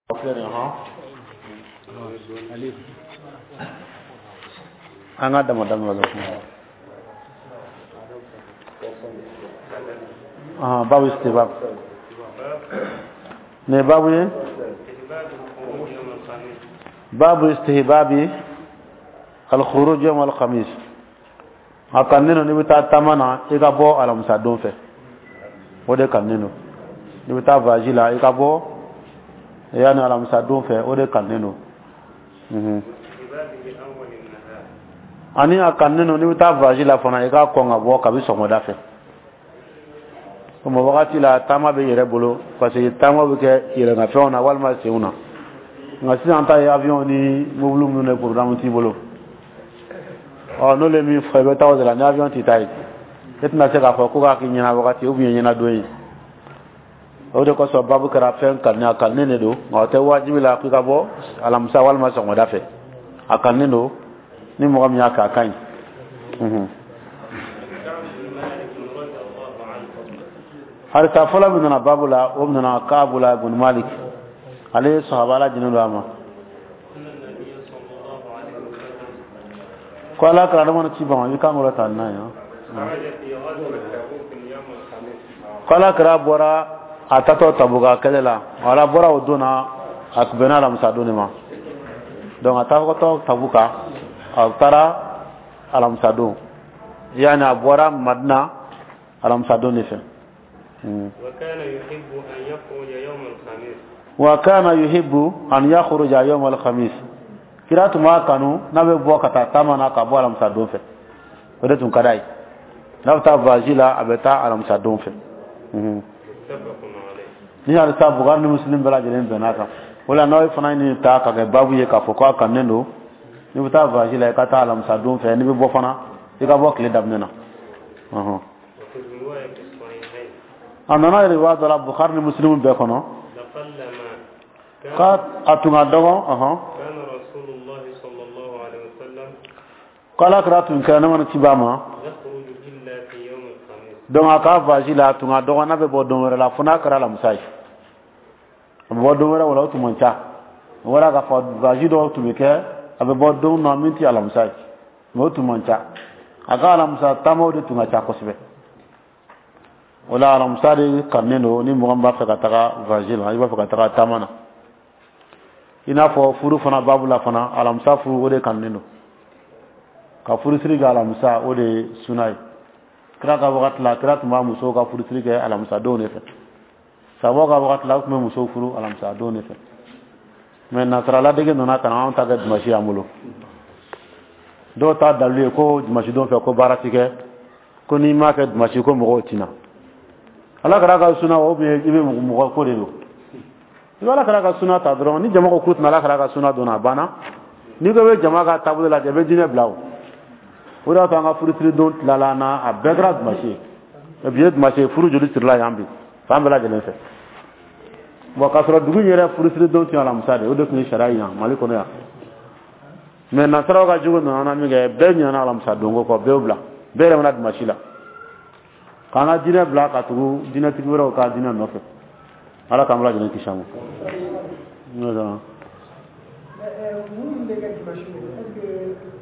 An ka dama dama la kuma babu istibab ne babu ye babu istihbabi al-khuruj yawm al-khamis. A kannen don n'i bɛ taa taama na, i ka bɔ alamisa don fɛ. O de kannen don. N'i bɛ taa voyage la, i ka bɔ yanni alamisa don fɛ, o de kannen don. Ani a kannen don n'i bɛ taa voyage la fana, i ka kɔn ka bɔ kabi sɔgɔmada fɛ. O wagati la, taama bɛ yɛrɛ bolo, parce que taama bɛ kɛ yɛlɛnkanfɛnw na walima senw na. Nka sisan ta ye avion ni mobili minnu de programme t'i bolo. Ɔ, n'olu ye min fɔ, i bɛ taa o de la. Ni avion t'i ta ye, e tɛna se k'a fɔ ko k'a k'i ɲɛna wagati ou bien ɲɛna don ye. O de kosɔn babu kɛra fɛn kanunen, a kanunen de don, nka o tɛ wajibi la k'i ka bɔ alamisa walima sɔgɔmada fɛ. A kanunen don, ni mɔgɔ min y'a kɛ, a ka ɲi. Hadisa fɔlɔ min nana babu la, o nana Kaabu la ibn Malik, ale ye sahaba, Ala jinin don a ma, ko Ala kira adama ci ban i kan kɔrɔ ta n'a ye, ko Ala kira bɔra a tatɔ Tabuka kɛlɛ la. Ala bɔra o don na, a bɛnna alamisa don de ma. Donc a taatɔ Tabuka, a taara alamisa don, yani a bɔra Madina alamisa don de fɛ. Wa kana yuhibbu an yakhruja yawm al-khamis. Kira tun b'a kanu n'a bɛ bɔ ka taa taama na, ka bɔ alamisa don fɛ. O de tun ka d'a ye. N'a bɛ taa voyage la, a bɛ taa alamisa don fɛ. Ni hadisa Bukhari ni Muslim bɛɛ lajɛlen bɛn'a kan. O la, n'aw fana ye nin ta ka kɛ babu ye k'a fɔ k'a kanunen don n'i bɛ taa voyage la, i ka taa alamisa don fɛ. N'i bɛ bɔ fana, i ka bɔ tile daminɛ na. A nana riwaya dɔ la Bukhari ni Muslim bɛɛ kɔnɔ, k'a a tun ka dɔgɔ, ko Ala kira tun kɛra, ne mana ci b'a ma. Donc a ka voyage la, a tun ka dɔgɔ n'a bɛ bɔ don wɛrɛ la, fo n'a kɛra alamisa ye. A bɛ bɔ don wɛrɛ, o la o tun man ca. O wɛrɛ k'a fɔ voyage dɔw tun bɛ kɛ, a bɛ bɔ don na min tɛ alamisa ye, mais o tun man ca. A ka alamisa taamaw de tun ka ca kosɛbɛ. O la, alamisa de kanunen don ni mɔgɔ min b'a fɛ ka taga voyage la, i b'a fɛ ka taga taama na. I n'a fɔ furu fana babu la fana, alamisa furu, o de kanunen don. Ka furusiri kɛ alamisa, o de ye suna ye. Kira ka wagati la, kira tun b'a musow ka furusiri kɛ alamisa don de fɛ. Sabaw ka wagati la, u tun bɛ musow furu alamisa don de fɛ. Mais nasaraladege nana ka na anw ta kɛ dimasi y'an bolo. Dɔw ta dalilu ye ko dimasi don fɛ, ko baara ti kɛ, ko n'i m'a kɛ dimasi, ko mɔgɔw tina. Ala kɛra ka suna o bien i bɛ mɔgɔ ko de don. I bɛ Ala kɛra ka suna ta dɔrɔn. Ni jama ko k'u tɛna Ala kɛra ka suna dɔn, a banna. N'i ko i bɛ jama ka taabolo lajɛ, i bɛ diinɛ bila. O o de y'a to an ka furusiri don tilala an na, a bɛɛ kɛra dimasi ye. Bi ye dimasi ye, furu joli sirila yan bi fan bɛɛ lajɛlen fɛ? Bon, k'a sɔrɔ dugu in yɛrɛ furusiri don tun ye alamisa de ye, o de tun ye sariya ye yan Mali kɔnɔ yan. Mais nasaraw ka jogo nana min kɛ, bɛɛ ɲinɛna alamisa don ko kɔ, bɛɛ y'o bila, bɛɛ yɛrɛ mana dimasi la, k'an ka diinɛ bila ka tugu diinɛtigi wɛrɛw ka diinɛ nɔfɛ. Ala k'an bɛɛ lajɛlen kisi a ma. Minnu bɛ kɛ dimanche, est-ce que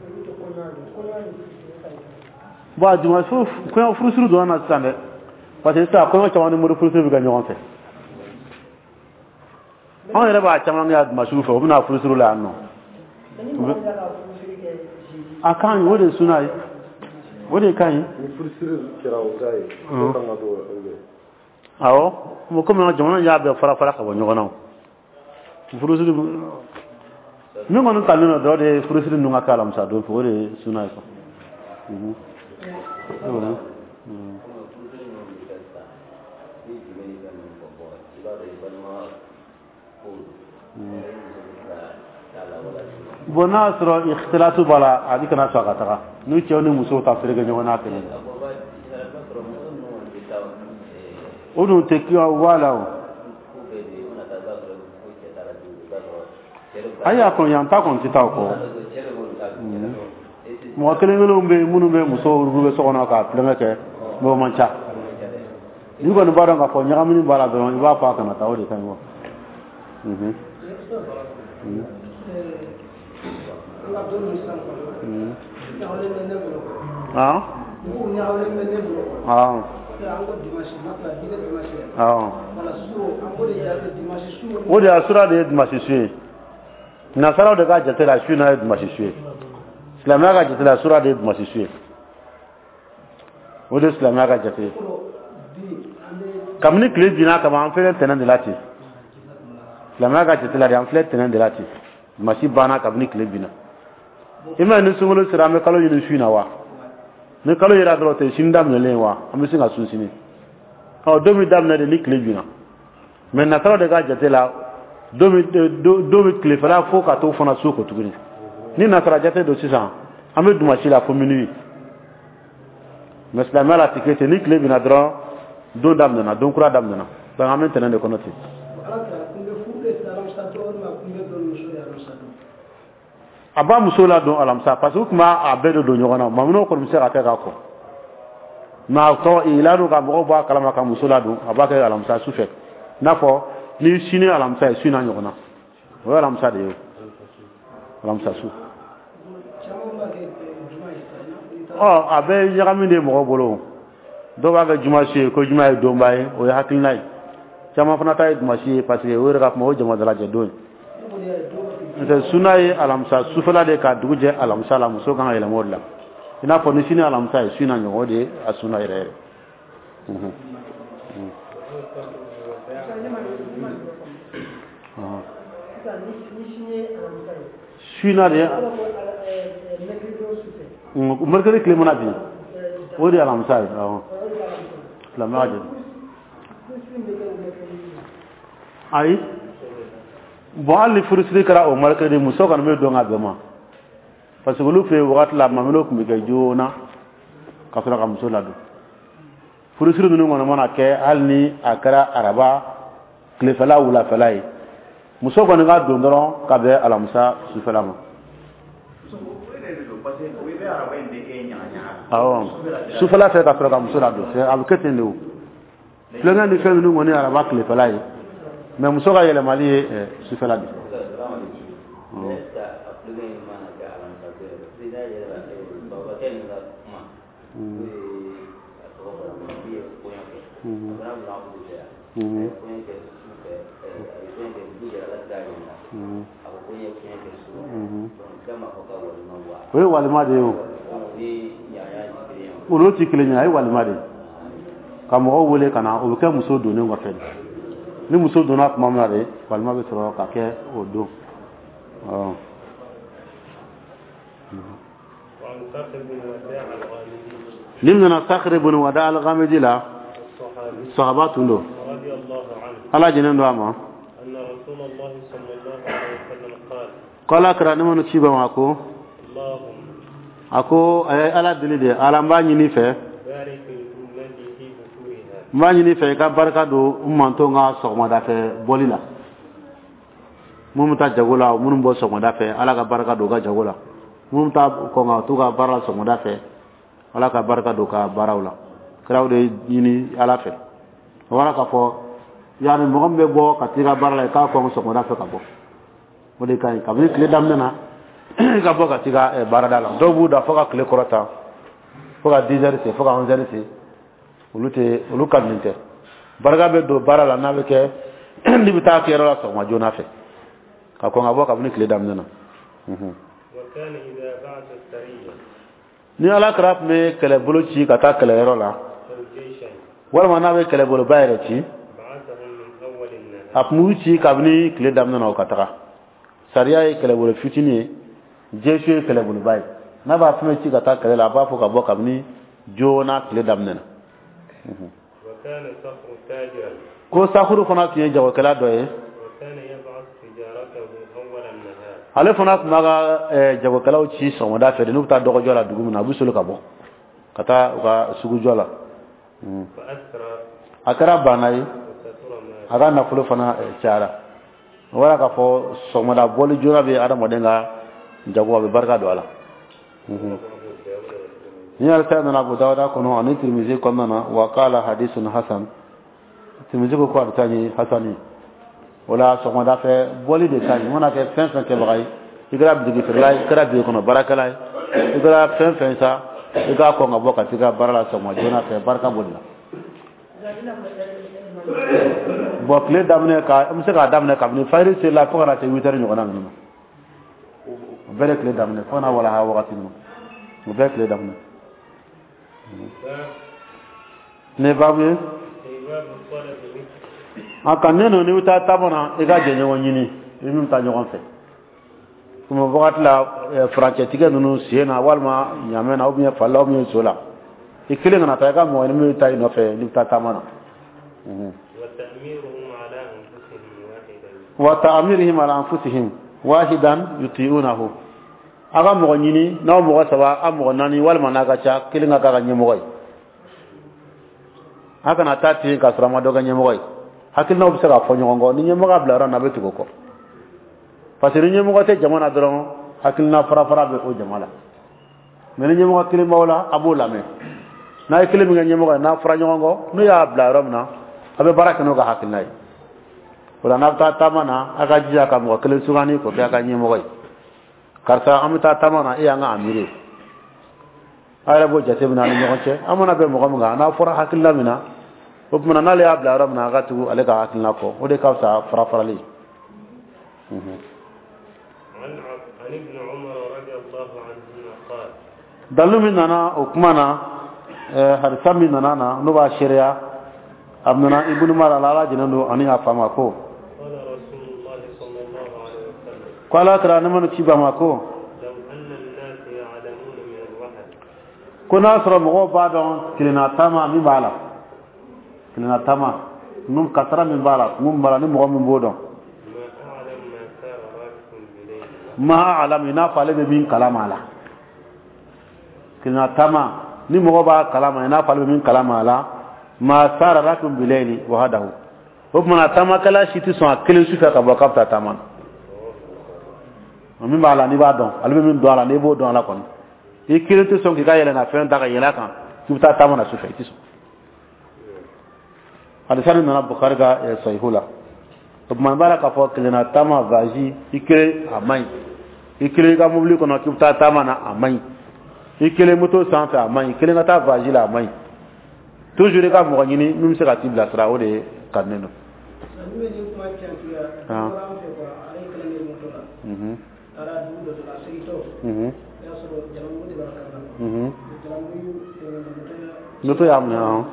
olu tɛ kɔɲɔ ye? Kɔɲɔ ni Bon, dimanche kɔɲɔ furusiri donna na sisan dɛ, parce que sisan kɔɲɔ caman ni mori furusiri bɛ kɛ ɲɔgɔn fɛ. Anw yɛrɛ b'a caman kɛ dimanche fɛ, u bɛna furusiri la yan nɔ. Ni mɔgɔ min ka furusiri kɛ jeudi? A ka ɲi, o de ye suna ye, o de ka ɲi. Ni furusiri kɛra o ta ye, o kan ka to o bɛ. Awɔ, komi an ka jamana y'a bɛɛ fara fara ka bɔ ɲɔgɔn na, o furusiri min kɔni talen don dɔrɔn de ye furusiri ninnu ka kɛ alamisa don fɛ, o de ye suna ye quoi. Furusiri ninnu bɛ kɛ sisan, ni jumɛn ni fɛn ninnu fɔ, bɔn, i b'a dɔn i balima ko don, i muso bɛ se ka taa la wala? Bon, n'a y'a sɔrɔ ikhtilatu b'a la, a bɛ kana sɔn a ka taga n'u cɛw ni musow ta feere kɛ ɲɔgɔn na kelen. A bɔn, i b'a sɔrɔ muso ninnu kɔni bɛ taa. O dun tɛ kiya b'a la o. Ko bɛɛ de i mana taa, i b'a sɔrɔ ko cɛ taara dugu, i b'a sɔrɔ cɛ de bɛ taa. Ayi, a kɔni yan ta kɔni tɛ taa o kɔ. Cɛ de b'olu ta. Mɔgɔ kelen kelenw bɛ yen minnu bɛ musow bɛ so kɔnɔ ka tulonkɛ kɛ, mais o man ca. N'i kɔni b'a dɔn k'a fɔ ɲagamini b'a la dɔrɔn, i b'a fɔ a kana taa, o de ka ɲi wa. Ah ah ah, o de y'a sura de ye dimanche su ye. Nasaraw de ka jate la, su n'a ye dimanche su ye. Silamɛya ka jate la, sura de ye dimanche su ye. O de ye silamɛya ka jate ye. Kabini tile binna kaban, an filɛ tɛnɛn de la ten. Silamɛya ka jate la de, an filɛ tɛnɛn de la ten. Dimanche banna kabini tile binna. I ma ye, ni sunkalo sera, an bɛ kalo ɲini su in na wa? Ni kalo yera dɔrɔn, o tɛ sini daminɛlen ye wa? An bɛ se ka sun sini. Ɔ, don bɛ daminɛ de ni tile binna. Mais nasaraw de ka jate la, don bɛ tilefɛla fo ka t'o fana su ko tuguni. Ni nasara jate don sisan, an bɛ dimanche la fo minuit. Mais silamɛya la, a tɛ kɛ ten. Ni tile binna dɔrɔn, don daminɛna, don kura daminɛna. Donc an bɛ tɛnɛn de kɔnɔ ten. A b'a muso ladon alamisa, parce que u tun b'a bɛɛ de don ɲɔgɔn na. Maminɛw kɔni bɛ se ka kɛ ka kɔn, mais a tɔ ladon ka mɔgɔw bɔ a kalama ka muso ladon, a b'a kɛ alamisa su fɛ. I n'a fɔ ni sini alamisa ye, su n'a ɲɔgɔn na, o ye alamisa de ye, o alamisa su. Ɔ, a bɛ ɲagami de mɔgɔw bolo. Dɔw b'a kɛ juma su ye, ko juma ye donba ye, o ye hakilina ye. Caman fana ta ye dimanche ye, parce que o yɛrɛ ka kuma, o ye jama dalajɛ don ye. N'o tɛ, suna ye alamisa sufɛla de, ka dugu jɛ alamisa la, muso kan ka yɛlɛma o de la. I n'a fɔ ni sini alamisa ye, su na ɲɔgɔn, o de ye a suna yɛrɛ yɛrɛ. Su na de, mercredi tile mana bin, o de ye alamisa ye. Awɔ, silamɛya jate. Ayi, bon, hali ni furusiri kɛra o mercredi, muso kɔni bɛ don ka bɛn ma, parce que olu fɛ yen wagati la, maminɛw tun bɛ kɛ joona ka sɔrɔ ka muso ladon. Furusiri ninnu kɔni mana kɛ, hali ni a kɛra araba tilefɛla, wulafɛla ye, muso kɔni ka don dɔrɔn ka bɛn alamisa sufɛla ma. Awɔ, sufɛla fɛ ka sɔrɔ ka muso ladon, a bɛ kɛ ten de. O tulonkɛ ni fɛn ninnu kɔni, araba tilefɛla ye, mais muso ka yɛlɛmali ye sufɛla de. O ye walima de ye. O olu tɛ kelen ye, a ye walima de ye ka mɔgɔw wele ka na. O bɛ kɛ muso donnen kɔfɛ. Ni muso donna tuma min na de, walima bɛ sɔrɔ ka kɛ o don. Ni nana Sakiri bin Wada al-Ghamidi la, sahaba tun don, Ala jɛnen don a ma, ko Ala kira ne mana ci ba ma, ko a ko a ye Ala deli de. Ala, n b'a ɲini fɛ, n b'a ɲini fɛ i ka barika don n manton ka sɔgɔmada fɛ bɔli la. Minnu bɛ taa jago la, minnu bɔ sɔgɔmada fɛ, Ala ka barika don u ka jago la. Minnu bɛ taa kɔn ka t'u ka baara la sɔgɔmada fɛ, Ala ka barika don u ka baaraw la. Kiraw de ɲini Ala fɛ. O bɔra k'a fɔ yanni mɔgɔ min bɛ bɔ ka t'i ka baara la, i k'a kɔn sɔgɔmada fɛ ka bɔ, o de ka ɲi. Kabini tile daminɛ na, i ka bɔ ka t'i ka baarada la. Dɔw b'u da fo ka tile kɔrɔta, fo ka 10 heures se, fo ka 11 heures se. Olu tɛ, olu ka nin tɛ. Barika bɛ don baara la n'a bɛ kɛ n'i bɛ taa kɛyɔrɔ la sɔgɔma joona fɛ, ka kɔn ka bɔ kabini tile daminɛ na. Ni Ala kira tun bɛ kɛlɛbolo ci ka taa kɛlɛyɔrɔ la, walima n'a bɛ kɛlɛboloba yɛrɛ ci, a tun b'u ci kabini tile daminɛ na, o ka taga. Sariya ye kɛlɛbolo fitinin ye, jɛsu ye kɛlɛboloba ye. N'a b'a fɛn ci ka taa kɛlɛ la, a b'a fɔ ka bɔ kabini joona tile daminɛ na. Ko Sakuru fana tun ye jagokɛla dɔ ye. Ale fana tun b'a ka jagokɛlaw ci sɔgɔmada fɛ de. N'u bɛ taa dɔgɔjɔ la dugu min na, a bɛ soli ka bɔ ka taa u ka sugujɔ la. A kɛra baana ye, a ka nafolo fana cayara. O b'a k'a fɔ sɔgɔmada bɔli joona bɛ adamaden ka jago, a bɛ barika don a la. Ni alisa nana Abu Dawuda kɔnɔ ani Tirimizi kɔnɔna na, wa qala hadisun hasan. Tirimizi ko a bɛ taa ni hasan ye. O la sɔgɔmada fɛ bɔli de ka ɲi. I mana kɛ fɛn fɛn kɛbaga ye, i kɛra bitigi feerela ye, i kɛra biro kɔnɔ baarakɛla ye, i kɛra fɛn fɛn sa, i k'a kɔn ka bɔ ka t'i ka baara la sɔgɔma joona fɛ, barika b'o de la. Bon, tile daminɛ ka an bɛ se k'a daminɛ kabini fajiri selila fo ka na se 8 heures ɲɔgɔnna ninnu ma. O bɛɛ de tile daminɛ fo ka na walaha wagati ninnu, o bɛɛ tile daminɛ. Ne baabu ye a ka ne nɔ, n'i bɛ taa taama na, i ka jɛɲɔgɔn ɲini i min bɛ taa ɲɔgɔn fɛ. Komi wagati la furancɛtigɛ ninnu sen na, walima ɲamɛ na, ou bien fali la, ou bien so la, i kelen kana taa, i ka mɔgɔ ɲini min bɛ taa i nɔfɛ n'i bɛ taa taama na. Wa ta'mirihim ala anfusihim wahidan yuti'unahu. A ka mɔgɔ ɲini, n'aw mɔgɔ saba, a mɔgɔ naani, walima n'a ka ca, kelen ka k'a ka ɲɛmɔgɔ ye. A kana taa ten k'a sɔrɔ a ma dɔ kɛ ɲɛmɔgɔ ye. Hakilinaw bɛ se ka fɔ ɲɔgɔn kɔ, ni ɲɛmɔgɔ bila yɔrɔ min na, a bɛ tugu o kɔ, parce que ni ɲɛmɔgɔ tɛ jama na dɔrɔn, hakilina fara fara bɛ o jama la. Mais ni ɲɛmɔgɔ kelen b'aw la, a b'o lamɛn. N'a ye kelen min kɛ ɲɛmɔgɔ ye, n'a fɔra ɲɔgɔn kɔ, n'o y'a bila yɔrɔ min na, a bɛ baara kɛ n'o ka hakilina ye. O la, n'a bɛ taa taama na, a ka jija ka mɔgɔ kelen sugandi k'o kɛ a ka ɲɛmɔgɔ ye. Karisa, an bɛ taa taama na, e y'an ka amiri ye. A yɛrɛ b'o jateminɛ a ni ɲɔgɔn cɛ, an mana bɛn mɔgɔ min kan, n'a fɔra hakilina min na, o tuma n'ale y'a bila yɔrɔ min na, a ka tugu ale ka hakilina kɔ. O de ka fisa fara farali. Dalu min nana o kuma na, hadisa min nana na, n'o b'a seereya, a nana Ibn Umar la, Ala jɛnnen don ani a fa ma, ko Ala kira ne mana ci ba ma ko n'a sɔrɔ mɔgɔw b'a dɔn kelenna taama min b'a la, kelenna taama ninnu kasara min b'a la, kun min b'a la, ni mɔgɔ min b'o dɔn, ma alam, i n'a fɔ ale bɛ min kalama a la. Kelenna taama, ni mɔgɔ b'a kalama i n'a fɔ ale bɛ min kalama a la, ma sara rakibun bilayli wahdahu, o tuma na taamakɛla si tɛ sɔn a kelen su fɛ ka bɔ k'a bɛ taa taama na. Min b'a la, n'i b'a dɔn, ale bɛ min dɔn a la, n'i b'o dɔn a la kɔni, i kelen tɛ sɔn k'i ka yɛlɛnna fɛn ta ka yɛlɛ a kan k'i bɛ taa taama na su fɛ, i tɛ sɔn. Hadisa nin nana Bukhari ka sahihu la. O tuma n b'a la k'a fɔ kelenna taama, voyage, i kelen, a man ɲi. I kelen i ka mobili kɔnɔ k'i bɛ taa taama na, a man ɲi. I kelen moto sanfɛ, a man ɲi. Kelen ka taa voyage la, a man ɲi. Toujours i ka mɔgɔ ɲini min bɛ se ka t'i bilasira, o de ka di ne don. Moto y'a minɛ.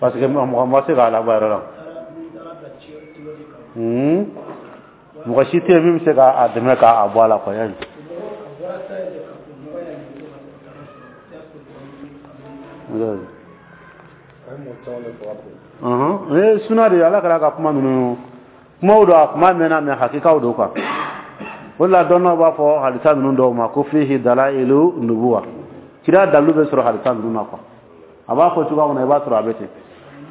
Parce que mɔgɔ ma se k'a labɔ a yɛrɛ la. Mɔgɔ si tɛ yen min bɛ se k'a dɛmɛ k'a bɔ a la quoi. Suna de Ala kɛra ka kuma ninnu kumaw don, a kuma mɛnna, mais hakikaw don quoi. O de la dɔnnaw b'a fɔ hadisa ninnu dɔw ma ko fihi dalailu nubuwa, kira dalilu bɛ sɔrɔ hadisa ninnu na quoi. A b'a fɔ cogoya min na, i b'a sɔrɔ a bɛ ten.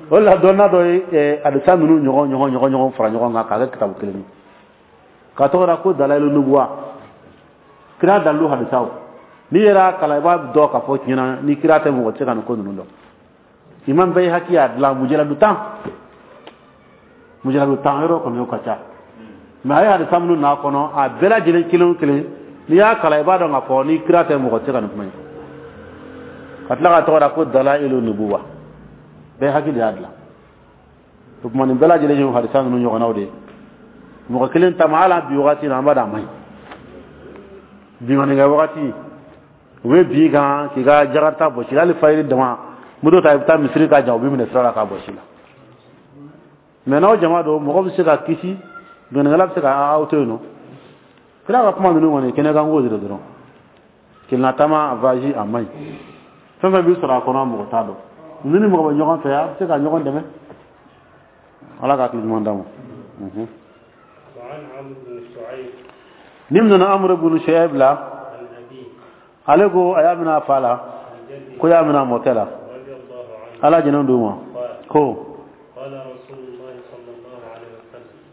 O de la dɔnna dɔ ye hadisa ninnu ɲɔgɔn ɲɔgɔn ɲɔgɔn ɲɔgɔn fara ɲɔgɔn kan k'a kɛ kitabu kelen ye, k'a tɔgɔ da ko dalailu nubuwa, kira dalilu hadisaw. N'i yɛrɛ y'a kalan, i b'a dɔn k'a fɔ tiɲɛ na ni kira tɛ, mɔgɔ tɛ se ka nin ko ninnu dɔn. Imam Bayhaqi y'a dilan mujaladu 10, mujaladu 10 yɔrɔ kɔni o ka ca, mais a ye hadisa minnu n'a kɔnɔ, a bɛɛ lajɛlen kelen o kelen, n'i y'a kalan, i b'a dɔn k'a fɔ ni kira tɛ, mɔgɔ tɛ se ka nin kuma in. Ka tila ka tɔgɔ da ko dalailu nubuwa, Bayhaqi de y'a dilan. O tuma nin bɛɛ lajɛlen ye hadisa ninnu ɲɔgɔnnaw de ye. Mɔgɔ kelen taama, hali bi wagati na, an b'a dɔn a man ɲi. Binkannikɛ wagati, u bɛ bin kan k'i ka jakarita bɔsi, hali fayiri dama moto ta, i bɛ taa misiri ka jan, u bɛ minɛ sira la k'a bɔsi la. Mais n'aw jama don, mɔgɔ bɛ se ka kisi, binkannikɛla bɛ se ka aw to yen nɔ. Kira ka kuma ninnu kɔni kɛnɛ kan ko de dɔrɔn. Kelenna taama voyage, a man ɲi. Fɛn fɛn bɛ sɔrɔ a kɔnɔ, mɔgɔ t'a dɔn. Ni ni mɔgɔ bɛ ɲɔgɔn fɛ, a bɛ se ka ɲɔgɔn dɛmɛ. Ala ka hakili ɲuman d'an ma. Ni nana Amr ibn Shu'aib la, ale ko a y'a minɛ a fa la, ko y'a minɛ a mɔkɛ la, Ala jɛnɛ d'u ma, ko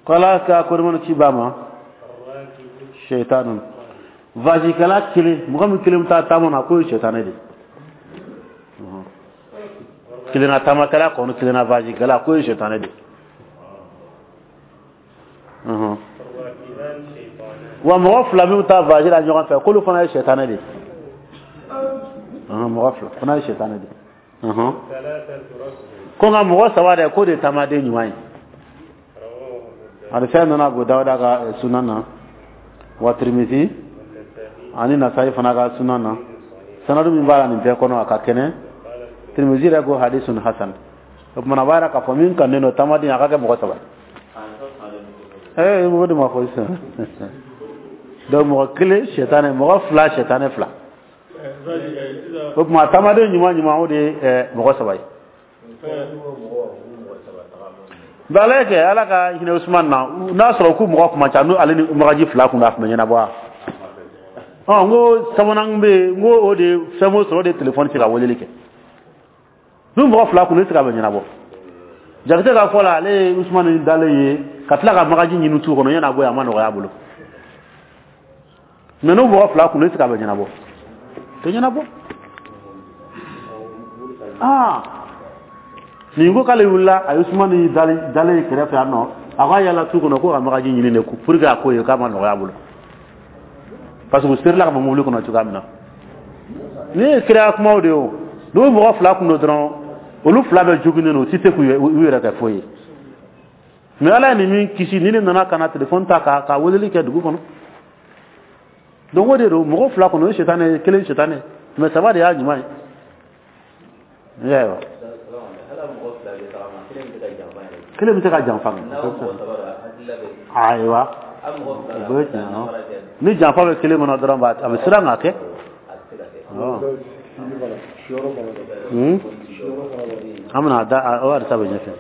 ala ka korimani ci ba ma shaitanun, vajikɛla kelen, mɔgɔ min kelen bɛ taa taama na, k'o ye shaitanɛ de ye. Kelenna taamakɛla kɔni, kelenna voyagekɛla, k'o ye sitanɛ de ye. Wa mɔgɔ fila min bɛ taa voyage la ɲɔgɔn fɛ, k'olu fana ye sitanɛ de ye. Mɔgɔ fila fana ye sitanɛ de ye. Ko nka mɔgɔ saba dɛ, k'o de ye taamaden ɲuman ye. Hadisa nana Abu Dawuda ka sunan na, wa Tirmidhi ani Nasa'i fana ka sunan na. Sanadu min b'a la nin bɛɛ kɔnɔ, a ka kɛnɛ. Tirmidhi yɛrɛ ko hadisun hasan. O tuma, a b'a yira k'a fɔ min kanunen don, taamaden, a ka kɛ mɔgɔ saba ye. O de ma fɔ sisan. Donc mɔgɔ kelen sɛtanɛ, mɔgɔ fila sɛtanɛ fila. O tuma, taamaden ɲuman ɲuman, o de ye mɔgɔ saba ye. Nka ala ye kɛ, Ala ka hinɛ Usman na, n'a sɔrɔ k'u mɔgɔ kuma ca, n'u ale ni magaji fila kun, a tun bɛ ɲɛnabɔ wa. Ɔ, n ko sabanan bɛ yen, n ko o de ye fɛn o sɔrɔ, o de ye telefɔni ci ka weleli kɛ. N'u mɔgɔ fila kun, ne tɛ se ka bɛ ɲɛnabɔ. Jakite ka fɔ la, ale ye Usman dalen ye ka tila ka magaji ɲini tu kɔnɔ yan'a bɔ yen, a ma nɔgɔya a bolo. Mais n'u mɔgɔ fila kun, ne tɛ se ka bɛ ɲɛnabɔ, tɛ ɲɛnabɔ. Aa, nin ko k'ale wulila, a ye Usumani dalen ye kɛrɛfɛ yan nɔ, a k'a yala tu kɔnɔ ko ka magaji ɲini de pour que a ko ye k'a ma nɔgɔya a bolo, parce que u serila ka bɔ mobili kɔnɔ cogoya min na. Nin ye kira kumaw de ye. O n'u mɔgɔ fila kun don dɔrɔn, olu fila bɛɛ joginnen don, u tɛ se k'u yɛrɛ kɛ foyi ye. Mais Ala ye nin min kisi, ni ne nana ka na telefɔni ta ka weleli kɛ dugu kɔnɔ. Donc o de don, mɔgɔ fila kɔnɔ, o ye sitanɛ ye, kelen sitanɛ, mais saba de y'a ɲuman ye. I y'a ye wa? Kelen bɛ se ka janfa. Ayiwa, o bɛ tiɲɛ. Ni janfa bɛ kelen kɔnɔ dɔrɔn, a bɛ siran ka kɛ. An bɛna da o hadisa bɛ ɲɛfɛ.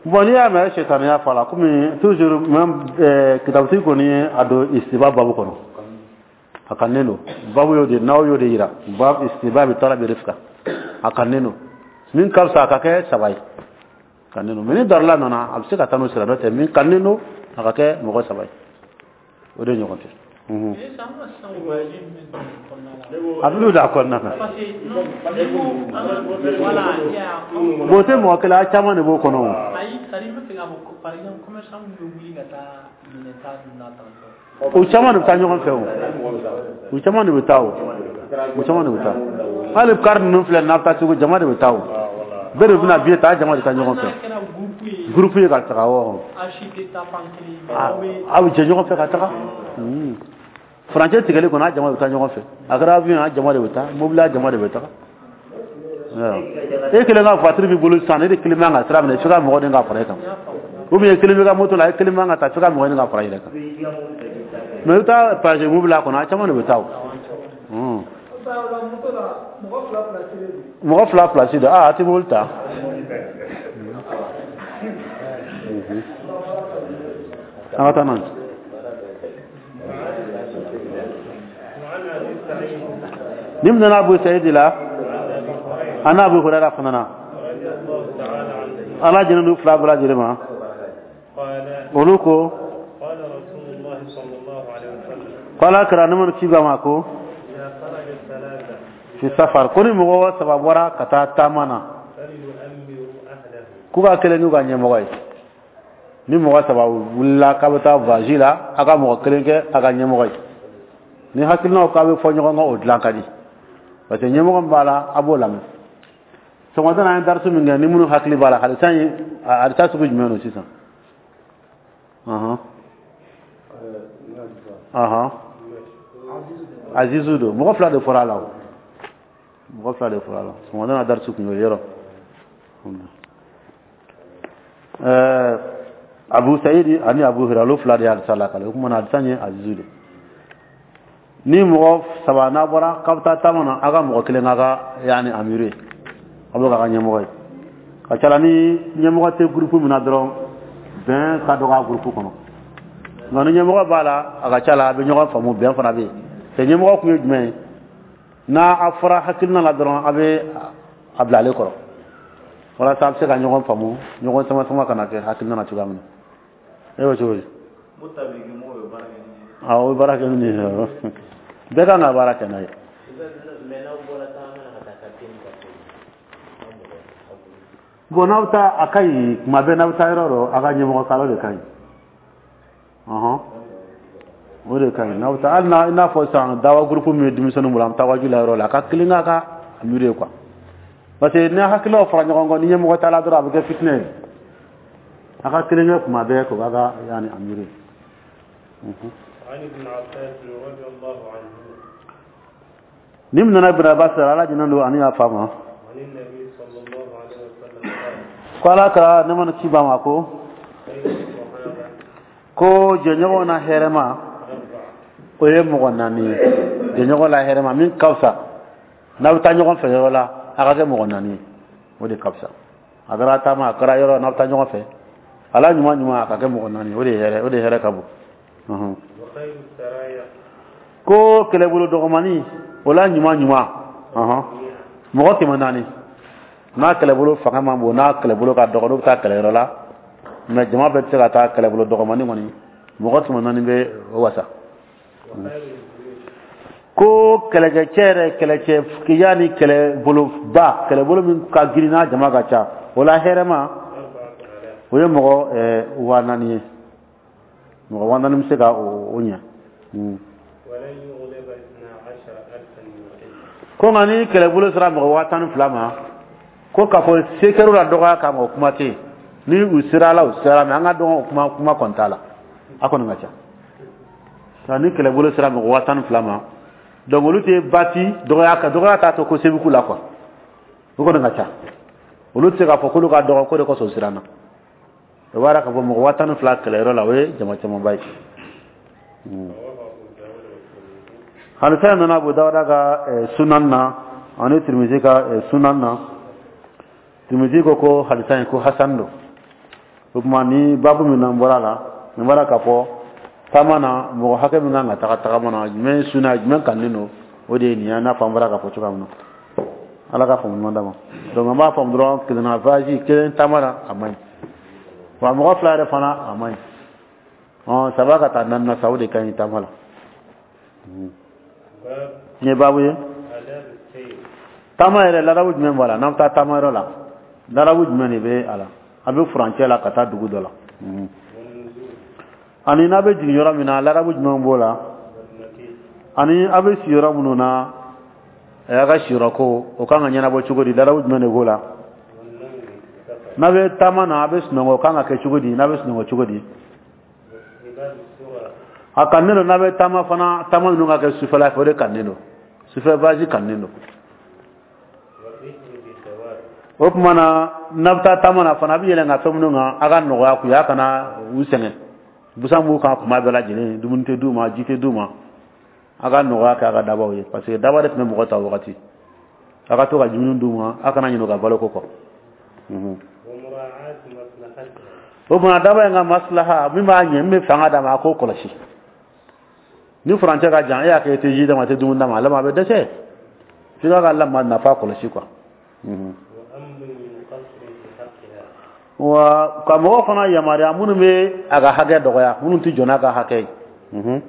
Bon, n'i y'a mɛn sitaniya fɔ a la, komi toujours même kitabutigi kɔni ye a don istiba babu kɔnɔ, a kannen don babu y'o de, n'aw y'o de yira, babu istiba bi talabi rifka, a kannen don min ka fisa a ka kɛ saba ye, kannen don. Mais ni darila nana, a bɛ se ka taa n'o sira dɔ tɛ, min kannen don, a ka kɛ mɔgɔ saba ye, o de ɲɔgɔn tɛ. A bɛ don a kɔnɔna na. Bon, o tɛ mɔgɔ kelen, a caman de b'o kɔnɔ o. O caman de bɛ taa ɲɔgɔn fɛ o. U caman de bɛ taa o. U caman de bɛ taa. Hali kari ninnu filɛ, n'a bɛ taa Segu, jama de bɛ taa o. Bɛɛ de bɛna biye ta, jama de taa ɲɔgɔn fɛ. Groupe ye ka taga o. A bɛ jɛ ɲɔgɔn fɛ ka taga. Furancɛ tigɛli kɔnɔ, a jama de bɛ taa ɲɔgɔn fɛ. A kɛra avion, a jama de bɛ taa. Mobili, a jama de bɛ taga. E kelen ka voiture b'i bolo sisan, e de kelen man ka sira minɛ, f'i ka mɔgɔ ɲini ka fara e kan. Ou bien kelen b'i ka moto la, e kelen man ka taa, f'i ka mɔgɔ ɲini ka fara i yɛrɛ kan. Mais i bɛ taa passer mobili la kɔnɔ, a caman de bɛ taa o. Mɔgɔ fila place don, a tɛ mobili ta. An ka taa n'a ye. Ni min nana Abu Sa'id la, an n'a Abu Hurairah fana na. Ala jɛnna n'u fila bɛɛ lajɛlen ma. Olu ko, ko Ala kira ne mana ci ba ma ko fi safar, ko ni mɔgɔ saba bɔra ka taa taama na, k'u ka kelen n'u ka ɲɛmɔgɔ ye. Ni mɔgɔ saba wulila k'a bɛ taa voyage la, a ka mɔgɔ kelen kɛ a ka ɲɛmɔgɔ ye. Ni hakilinaw k'a bɛ fɔ ɲɔgɔn kɔ, o dilan ka di, parce que ɲɛmɔgɔ min b'a la, a b'o lamɛn. Sɔgɔmada na, an ye darisu min kɛ, ni minnu hakili b'a la, hadisa ye hadisa sugu jumɛn don sisan? Azizu don. Mɔgɔ fila de fɔra a la o. Mɔgɔ fila de fɔra a la. Sɔgɔmada na darisu kun y'o yɔrɔ. Abu Sa'id ani Abu Hurairah, olu fila de ye hadisa lakale. O tuma na, hadisa ye azizu de. Ni mɔgɔ saba n'a bɔra k'a bɛ taa taama na, a ka mɔgɔ kelen k'a ka yaani amiru ye, a b'o k'a ka ɲɛmɔgɔ ye. Ka ca la, ni ɲɛmɔgɔ tɛ gurupu min na dɔrɔn, bɛn ka dɔgɔ a gurupu kɔnɔ. Nka ni ɲɛmɔgɔ b'a la, a ka ca la, a bɛ ɲɔgɔn faamu, bɛn fana bɛ yen. Cɛ ɲɛmɔgɔ kun ye jumɛn ye? N'a a fɔra hakilina la dɔrɔn, a bɛ a bila ale kɔrɔ, walasa a bɛ se ka ɲɔgɔn faamu, ɲɔgɔn sama sama kana kɛ hakilina na cogoya min na. E bɛ cogo di? Awɔ, o bɛ baara kɛ ni nin ye. Bɛɛ kan ka baara kɛ n'a ye. Bon, n'aw bɛ taa, a ka ɲi tuma bɛɛ. N'aw bɛ taa yɔrɔ dɔ, a ka ɲɛmɔgɔ kalo de ka ɲi. Ɔhɔn, o de ka ɲi. N'aw bɛ taa, hali n'a i n'a fɔ sisan dawa groupe min bɛ denmisɛnninw bolo, an bɛ taa waaju la yɔrɔ la, a ka kelen k'a ka miiri ye quoi, parce que ni hakililaw fara ɲɔgɔn kan ni ɲɛmɔgɔ t'a la dɔrɔn, a bɛ kɛ fitinɛ ye. A ka kelen kɛ kuma bɛɛ k'o k'a ka yanni a miiri. عن ابن عباس رضي الله عنه. Ni min nana Ibn Abbas, Ala jɛnnen don ani y'a fa ma. عن النبي صلى الله عليه وسلم قال: Ko Ala ka ne mana ci ba ma ko: خير الصحابة Ko jɛɲɔgɔn na hɛrɛma أربعة. o ye mɔgɔ naani ye. Jɛɲɔgɔn la hɛrɛma min ka fisa, n'a bɛ taa ɲɔgɔn fɛ yɔrɔ la, a ka kɛ mɔgɔ naani ye, o de ka fisa. A kɛra taama, a kɛra yɔrɔ, n'a bɛ taa ɲɔgɔn fɛ, ala ɲuman ɲuman, a ka kɛ mɔgɔ naani ye, o de ye hɛrɛ, o de hɛrɛ ka bon. وخير السرايا Ko kɛlɛbolo dɔgɔmani, o la ɲuman ɲuman, mɔgɔ 400. N'a kɛlɛbolo fanga man bon, n'a kɛlɛbolo ka dɔgɔ, n'o bɛ taa kɛlɛyɔrɔ la, mɛ jama bɛɛ tɛ se ka taa, kɛlɛbolo dɔgɔmani kɔni, mɔgɔ 400 bɛ o wasa. وخير الجيوش Ko kɛlɛkɛcɛ yɛrɛ, kɛlɛcɛ yanni kɛlɛboloba, kɛlɛbolo min ka girin n'a jama ka ca, o la hɛrɛma 4000. o ye mɔgɔ 4000 ye. Mɔgɔ 4000 bɛ se ka o ɲɛ. ولن يغلب 12 ألفا من قلة. Ko nka ni kɛlɛbolo sera mɔgɔ 12,000 ma, ko k'a fɔ se kɛr'u la dɔgɔya kama, o kuma tɛ yen. Ni u sera a la, u sera, mɛ an ka dɔn, o kuma kɔni t'a la, a kɔni ka ca. Nka ni kɛlɛbolo sera mɔgɔ 12,000 ma, donc olu tɛ bati dɔgɔya kan, dɔgɔya t'a to ko se bɛ k'u la quoi. O kɔni ka ca, olu tɛ se k'a fɔ k'olu ka dɔgɔ ko de kosɔn u siranna. O b'a yira k'a fɔ mɔgɔ 12,000 kɛlɛyɔrɔ la, o ye jama camanba ye. رواه أبو داود والترمذي. Hadisa nana Abu Dawuda ka sunan na ani Tirimizi ka sunan na. Tirimizi ko ko hadisa in ko hasan don. O tuma ni babu min n'an bɔra la, nin bɔra k'a fɔ taama na, mɔgɔ hakɛ min kan ka taga tagama na, jumɛn ye suna ye, jumɛn kannen don, o de ye nin ye. I n'a fɔ an bɔra k'a fɔ cogoya min na, Ala ka faamu ɲuman d'a ma. Donc an b'a faamu dɔrɔn, kelenna voyage kelen taama na, a man ɲi wa. Mɔgɔ fila yɛrɛ fana, a man ɲi. Ɔn, saba ka taa naani na sa, o de ka ɲi taama la. باب Nin ye baabu ye. آداب السير. Taama yɛrɛ, ladabu jumɛn b'a la? N'an bɛ taa taama yɔrɔ la, ladabu jumɛn de bɛ a la? A bɛ furancɛ la ka taa dugu dɔ la. والنزول Ani n'a bɛ jigin yɔrɔ min na, ladabu jumɛn b'o la? والمكيت. Ani a bɛ si yɔrɔ minnu na, a ka siyɔrɔ ko, o kan ka ɲɛnabɔ cogo di? Ladabu jumɛn de b'o la? والنوم في السفر. N'a bɛ taama na, a bɛ sunɔgɔ, o kan ka kɛ cogo di? N'a bɛ sunɔgɔ cogo di? واستحباب السرى. A kannen don, n'a bɛ taama fana, taama ninnu ka kɛ sufɛla fɛ, o de kannen don. Sufɛ voyage kannen don. والرحل بالدواب. O tuma na, n'a bɛ taa taama na fana, a bɛ yɛlɛn ka fɛn minnu kan, a ka nɔgɔya k'u ye, a kana u sɛgɛn. Busan b'u kan kuma bɛɛ lajɛlen, dumuni tɛ d'u ma, ji tɛ d'u ma. A ka nɔgɔya kɛ a ka dabaw ye, parce que daba de tun bɛ mɔgɔ ta o wagati. A ka to ka dumuni d'u ma, a kana ɲinɛ u ka baloko kɔ. ومراعاة مصلحتها. O tuma daba in ka maslaha min b'a ɲɛ, min bɛ fanga d'a ma, a k'o kɔlɔsi. Ni furancɛ ka jan, e y'a kɛ i tɛ ji d'a ma, i tɛ dumuni d'a ma, a laban a bɛ dɛsɛ. F'i k'a ka lamɔ nafa kɔlɔsi quoi. وأمر من قصر في حقها. Wa ka mɔgɔ fana yamaruya minnu bɛ a ka hakɛ dɔgɔya, minnu tɛ jɔ n'a ka hakɛ ye. من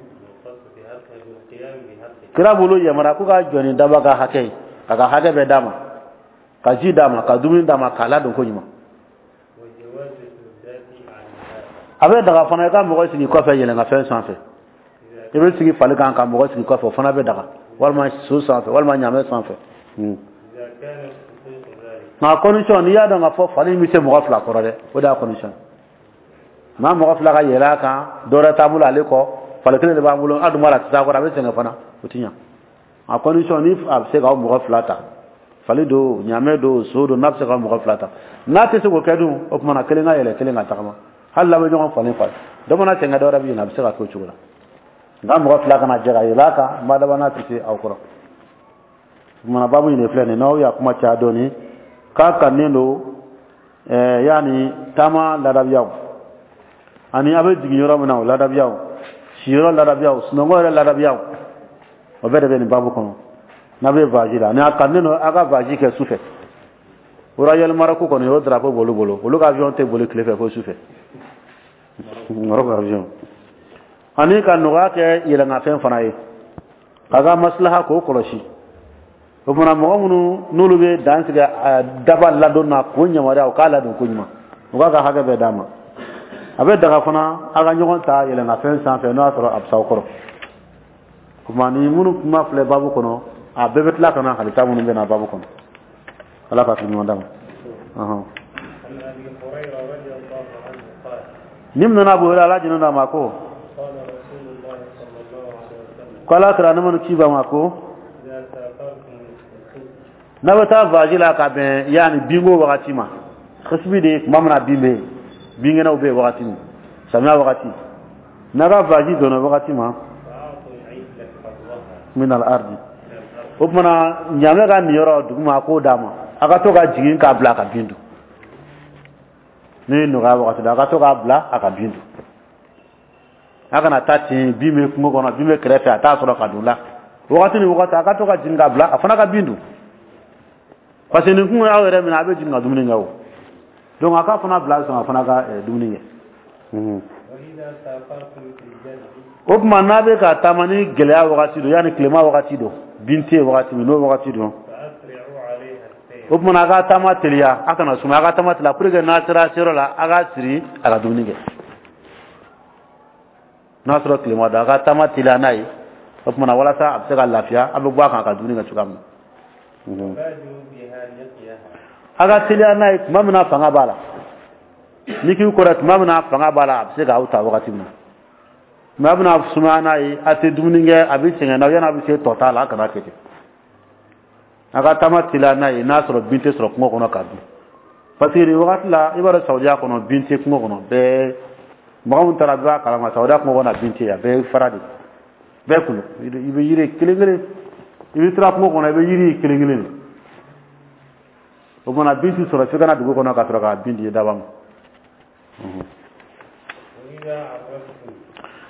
قصر في حقها بالقيام بحقها. Kira bolo yamaruya ko ka jɔ ni daba ka hakɛ ye, k'a ka hakɛ bɛɛ d'a ma, ka ji d'a ma, ka dumuni d'a ma, k'a ladon ko ɲuman. وجواز السدات عنها. A bɛ daga fana i ka mɔgɔ sigi kɔfɛ yɛlɛnka sanfɛ. إذا I bɛ sigi fali kan ka mɔgɔ sigi kɔfɛ, o fana bɛ daga, walima so sanfɛ, walima ɲamɛ sanfɛ. إذا كانت تطيق ذلك. Nka condition, n'i y'a dɔn k'a fɔ fali in bɛ se mɔgɔ fila kɔrɔ dɛ, o de y'a condition. Maa mɔgɔ fila ka yɛlɛ a kan, dɔ wɛrɛ t'an bolo ale kɔ, fali kelen de b'an bolo, a dun b'a la, a tɛ se a kɔrɔ, a bɛ sɛgɛn fana, o ti ɲa. A condition, ni a bɛ se k'aw mɔgɔ fila ta, fali don, ɲamɛ don, so don, n'a bɛ se k'aw mɔgɔ fila ta. N'a tɛ se k'o kɛ dun, o tuma na kelen ka yɛlɛ, kelen ka tagama, hali n'a bɛ ɲɔgɔn falen falen, dɔ mana sɛgɛn, dɔ wɛrɛ bɛ yen, a bɛ se ka k'o cogo la. Nka mɔgɔ fila kana jɛ ka yɛlɛ a kan, n b'a laban n'a tɛ se aw kɔrɔ. O tuma na baabu in de filɛ nin ye. N'aw y'a kuma caya dɔɔni, k'a kannen don yaani taama ladabiyaw, ani a bɛ jigin yɔrɔ min na, o ladabiyaw, siyɔrɔ ladabiyaw, sunɔgɔ yɛrɛ ladabiyaw, o bɛɛ de bɛ nin baabu kɔnɔ. N'a bɛ voyage la, ani a kannen don a ka voyage kɛ sufɛ. Royal Maroc kɔni, o drapeau b'olu bolo, olu ka avion tɛ boli tile fɛ fo sufɛ. Maroc avion. Ani ka nɔgɔya kɛ yɛlɛnkanfɛn fana ye, k'a ka maslaha k'o kɔlɔsi. O fana, mɔgɔ minnu n'olu bɛ dan sigi daba ladon na k'o yamaruya, o k'a ladon ko ɲuman, o k'a ka hakɛ bɛɛ d'a ma. A bɛ daga fana a ka ɲɔgɔn ta yɛlɛnkanfɛn sanfɛ, n'o y'a sɔrɔ a bɛ s'aw kɔrɔ. O tuma, ni minnu kuma filɛ baabu kɔnɔ, a bɛɛ bɛ tila ka na hadisa minnu bɛ na baabu kɔnɔ. Ala ka hakili ɲuman d'a ma. عن أبي هريرة رضي الله عنه قال: Ni min nana Abu Hurairah, Ala jɛnna a ma, ko: قال رسول الله صلى الله عليه وسلم: Ko Ala kira ne mana ci ba ma ko: إذا سافرتم في الخصب N'a bɛ taa voyage la ka bɛn yanni binko wagati ma, khasbi de, tuma min na bin bɛ yen, binkɛnɛw bɛ yen wagati min, samiya wagati, n'a ka voyage donna wagati ma, فأعطوا العجل حظها min al ardi من الأرض. O tuma, ɲamɛ ka niyɔrɔ duguma, a k'o d'a ma, a ka to ka jigin k'a bila a ka bin dun. Ni nɔgɔya wagati la, a ka to k'a bila a ka bin dun. A kana taa ten, bin bɛ kungo kɔnɔ, bin bɛ kɛrɛfɛ, a t'a sɔrɔ ka don la. Wagati ni wagati, a ka to ka jigin k'a bila, a fana ka bin dun, parce que nin kun y'aw yɛrɛ minɛ, a bɛ jigin ka dumuni kɛ o. Donc a k'a fana bila sɔn a fana ka dumuni kɛ. وإذا سافرتم في الجدب O tuma, n'a bɛ ka taama ni gɛlɛya wagati don, yanni tilema wagati don, bin tɛ yen wagati min, n'o wagati don, فأسرعوا عليها السير. O tuma, a ka taama teliya, a kana suma, a ka taama teliya pour que n'a sera seyɔrɔ la, a ka siri a ka dumuni kɛ. N'a sɔrɔ tilema don, a ka taama teliya n'a ye. O tuma na, walasa a bɛ se ka lafiya, a bɛ bɔ a kan a ka dumuni kɛ cogoya min na. وبادروا بها نقيها. A ka teliya n'a ye tuma min na fanga b'a la, ni k'i kɔrɔ tuma min na fanga b'a la, a bɛ se k'aw ta wagati min na. Mais a bɛna sumaya n'a ye, a tɛ dumuni kɛ, a bɛ sɛgɛn n'a ye, yanni a bɛ se tɔ t'a la, a kana kɛ ten. A ka taama teliya n'a ye, n'a sɔrɔ bin tɛ sɔrɔ kungo kɔnɔ ka dun, parce que nin wagati la, i b'a dɔn, Saudiya kɔnɔ, bin tɛ kungo kɔnɔ. Bɛɛ, mɔgɔ min taara, bɛɛ b'a kalama, Saudiya kungo kɔnɔ, bin tɛ yen, a bɛɛ ye fara de, bɛɛ kulu. I bɛ yiri kelen kelen, i bɛ taa kungo kɔnɔ, i bɛ yiri kelen kelen de. O kumana, bin tɛ sɔrɔ f'i ka na dugu kɔnɔ ka sɔrɔ ka bin di daba ma. وإذا عرستم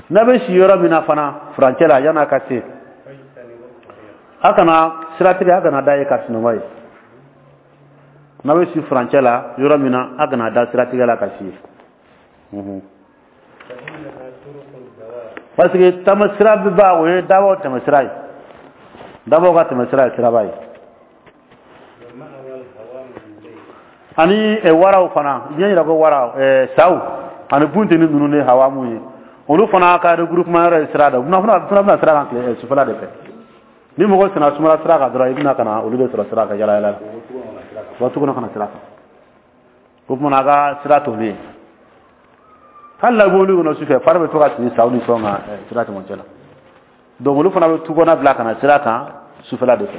N'a bɛ si yɔrɔ min na fana, furancɛ la, yan'a ka se, فاجتنبوا الطريق. A kana siratigɛ, a kana da ye ka sunɔgɔ ye. N'a bɛ si furancɛ la yɔrɔ min na, a kana da siratigɛ la ka si ye. فإنها طرق الدواب. Parce que taama sira bɛ ba, o ye dabaw tɛmɛ sira ye, dabaw ka tɛmɛ sira ye siraba ye. ومأوى الهوام بالليل. Ani waraw fana, diɲɛ yira ko waraw, saw ani bunteni ninnu de, hawamu ye, olu fana ka regroupement yɔrɔ ye sira da. U bɛna fana bɛna sira kan tile sufɛla de fɛ. Ni mɔgɔ senna sumala sira kan dɔrɔn, i bɛna ka na olu de sɔrɔ sira kan yala yala la, wa tu kɔnɔ ka na sira kan. O tuma, a ka sira t'olu ye. Hali la mobili kɔnɔ sufɛ, fari bɛ to ka sigi saw ni fɛnw kan sira cɛmancɛ la. Donc olu fana bɛ tu kɔnɔ bila ka na sira kan sufɛla de fɛ.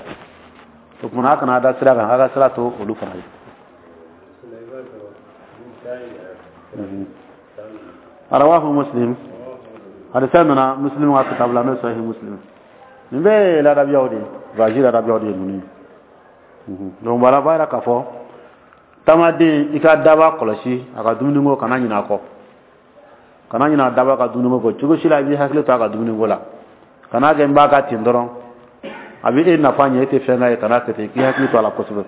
O tuma, a kana da sira kan, a ka sira to olu fana ye. سليمان. رواه مسلم. Hadisa nana Muslim ka kitabu la, n'o ye Sahih Muslim. Nin bɛɛ ye ladabiyaw de ye, voyage ladabiyaw de ye ninnu ye. Donc voilà, b'a yira k'a fɔ taamaden, i ka daba kɔlɔsi a ka dumuniko, kana ɲinɛ a kɔ, kana ɲinɛ daba ka dumuniko kɔ cogo si la. I b'i hakili to a ka dumuniko la, kana kɛ n b'a ka ten dɔrɔn, a bɛ e nafa ɲɛ, e tɛ fɛn k'a ye. Kana kɛ ten, k'i hakili to a la kosɛbɛ.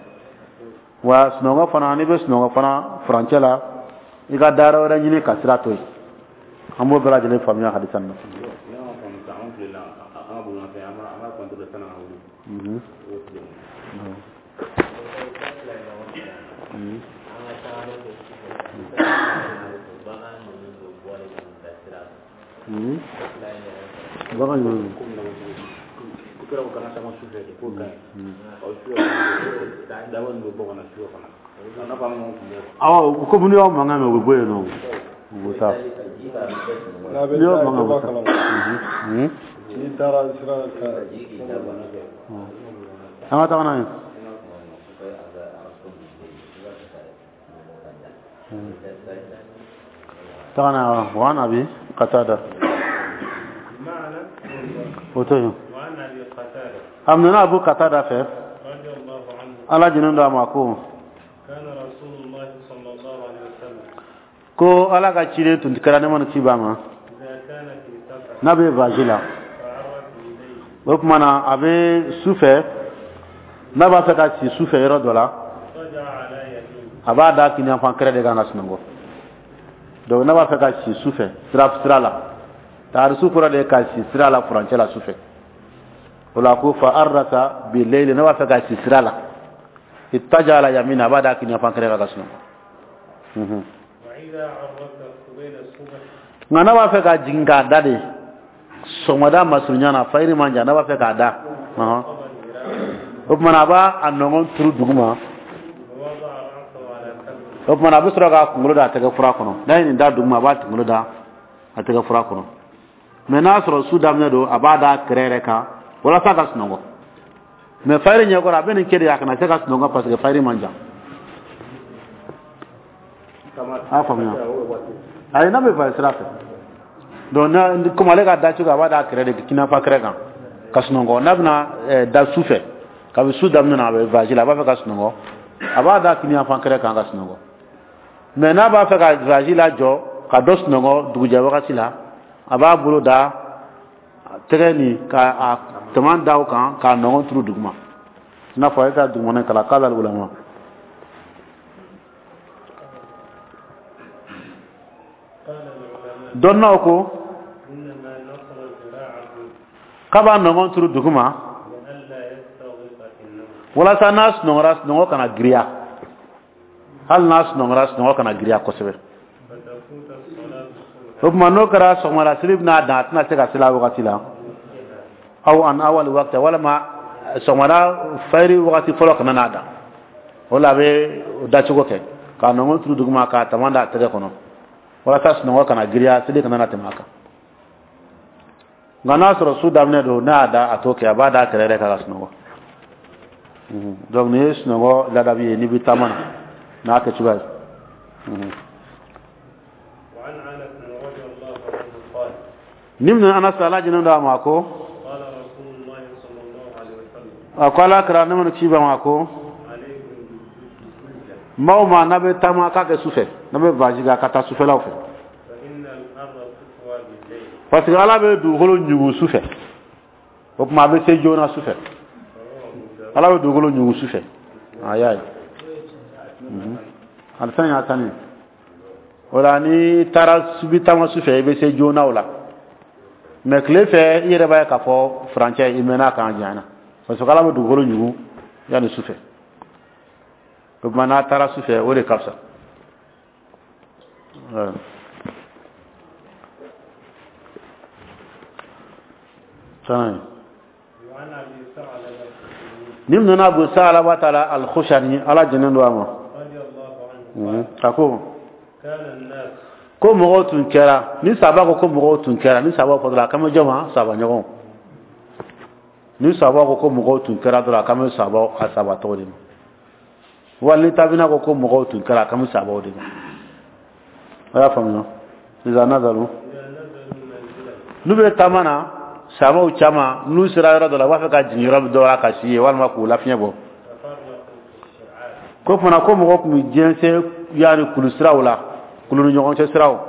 Wa sunɔgɔ fana, n'i bɛ sunɔgɔ fana furancɛ la, i ka dayɔrɔ wɛrɛ ɲini ka sira to yen. An b'o bɛɛ lajɛlen faamuya hadisa nin na. N'an y'a faamu sisan, anw tilela an ka bolimafɛn, an b'a contrôler sanni an ka wuli. O tile. An ka tagalen kɛ sufɛ, bagan ninnu bɛ bɔlen ka bila sira kan. Fila in yɛrɛ fɛ. Bagan jumɛn? Ko min na ko kɛra ko kana taama sufɛ de, k'o ka ɲi. Ɔ, sufɛ daba ninnu bɛ bɔ ka na sufɛ fana. A n'a fɔ an ka kun bɛ. Awɔ, komi n'i y'aw mankan mɛn, u bɛ bɔ yen nɔ, u bɛ taa. Ji ka bɛɛ sunɔgɔ. N'a bɛ N'i y'aw taa, mankan i b'a u bɛ taa. kalama. N'i taara sira kan. Ji k'i da bana kɛ. An ka taga n'a ye. N'a kuma sufɛ a bɛ a ko bi i b'a fɛ ka sunɔgɔ ka da. Taga n'a ye. وعن أبي قتادة معنى O to yen. وعن أبي قتادة A minɛna Abu Qatada fɛ, رضي الله عنه، Ala jɛnnen don a ma, ko: كان رسول الله صلى الله عليه وسلم Ko Ala ka ciden tun kɛra, ne mana ci b'a ma, إذا كان في سفر n'a bɛ voyage la, فعرس إليه o tuma na, a bɛ su fɛ, n'a b'a fɛ ka si su fɛ yɔrɔ dɔ la, اضطجع على يمينه. A b'a da kini yanfan kɛrɛ de kan ka sunɔgɔ. Donc n'a b'a fɛ ka si su fɛ sira la Taarisu kɔrɔ de ka si sira la furancɛ la su fɛ. O la ko fa arrasa bi leyli, ne b'a fɛ ka si sira la, ittaja ala yamina, a b'a da kini fan kɛrɛ kan ka sunɔgɔ. Nka n'a b'a fɛ ka jigin k'a da de sɔgɔmada masurunya na, fayiri man jan, n'a b'a fɛ k'a da, o tuma na a b'a a nɔngɔn turu duguma, o tuma na a bɛ sɔrɔ k'a kunkolo da a tɛgɛ fura kɔnɔ. N'a ye nin da duguma, a b'a kunkolo da a tɛgɛ fura kɔnɔ. Mɛ n'a sɔrɔ su daminɛ don, a b'a da kɛrɛ yɛrɛ kan walasa ka sunɔgɔ. Mɛ fayiri ɲɛkɔrɔ, a bɛ nin kɛ de a kana se ka sunɔgɔ parce que fayiri man jan. A y'a faamuya? Ayi, n'a bɛ fayiri sira fɛ. Donc n'a komi ale ka da cogo, a b'a da kɛrɛ de kinafa kɛrɛ kan ka sunɔgɔ. N'a bɛna da su fɛ, kabi su daminɛ na a bɛ voyage la, a b'a fɛ ka sunɔgɔ, a b'a da kiniyanfan kɛrɛ kan ka sunɔgɔ. Mɛ n'a b'a fɛ ka voyage lajɔ ka dɔ sunɔgɔ dugujɛ wagati la, a b'a bolo da tɛgɛ nin ka a tama da o kan k'a nɔgɔn turu duguma, i n'a fɔ e ka dugumana kalan k'a la ulama. Dɔnnaw ko k'a b'a nɔgɔn turu duguma walasa n'a sunɔgɔra, sunɔgɔ kana giriya. Hali n'a sunɔgɔra, sunɔgɔ kana giriya kosɛbɛ. O tuma n'o kɛra, sɔgɔmada seli bɛna dan, a tɛna se ka seli a wagati la, aw an awali wagati, walima sɔgɔmada fayiri wagati fɔlɔ kana n'a dan. O la a bɛ dacogo kɛ k'a nɔgɔn turu duguma k'a tama da a tɛgɛ kɔnɔ walasa sunɔgɔ kana giriya, seli kana na tɛmɛ a kan. Nka n'a sɔrɔ su daminɛ don, n'a y'a da, a t'o kɛ, a b'a da a kɛrɛ yɛrɛ kan ka sunɔgɔ. Donc nin ye sunɔgɔ ladabi ye n'i bɛ taama na n'a kɛ cogoya ye. Ni min Anas, ala jɛnen don a ma, ko a ko ala kira ne mana ci ba ma ko maa o maa n'a bɛ taama, k'a kɛ su fɛ, n'a bɛ voyage kɛ, ka taa sufɛlaw fɛ, parce que ala bɛ dugukolo ɲugu su fɛ. O tuma a bɛ se joona su fɛ, ala bɛ dugukolo ɲugu su fɛ. A y'a ye alifɛn y'a sani o la, n'i taara bi taama su fɛ, i bɛ se joona o la. Mɛ tile fɛ, i yɛrɛ b'a ye k'a fɔ furancɛ i mɛnna kan janyana, parce que ala bɛ dugukolo ɲugu yanni su fɛ. O tuma n'a taara su fɛ, o de ka fisa. Ni nana Abu Sa'alaba taala al-Khushani, ala jɛnnen don a ma, a ko ko mɔgɔw tun kɛra ni saba ko mɔgɔw tun kɛra ni saba fɔ dɔrɔn, a kan bɛ jɔn ma? Saba ɲɔgɔn. Ni saba ko mɔgɔw tun kɛra dɔrɔn, a kan bɛ saba a saba tɔgɔ de ma. Wali ni tabina ko mɔgɔw tun kɛra, a kan bɛ sabaw de ma. A y'a faamuya? Iza nazalu, n'u bɛ taama na, sabaw caman n'u sera yɔrɔ dɔ la, u b'a fɛ ka jigin yɔrɔ dɔ la ka si yen walima k'u lafiɲɛ bɔ. Ko fana ko mɔgɔw tun bɛ jɛnsɛn yaani kulu siraw la, kulu ni ɲɔgɔn cɛ siraw,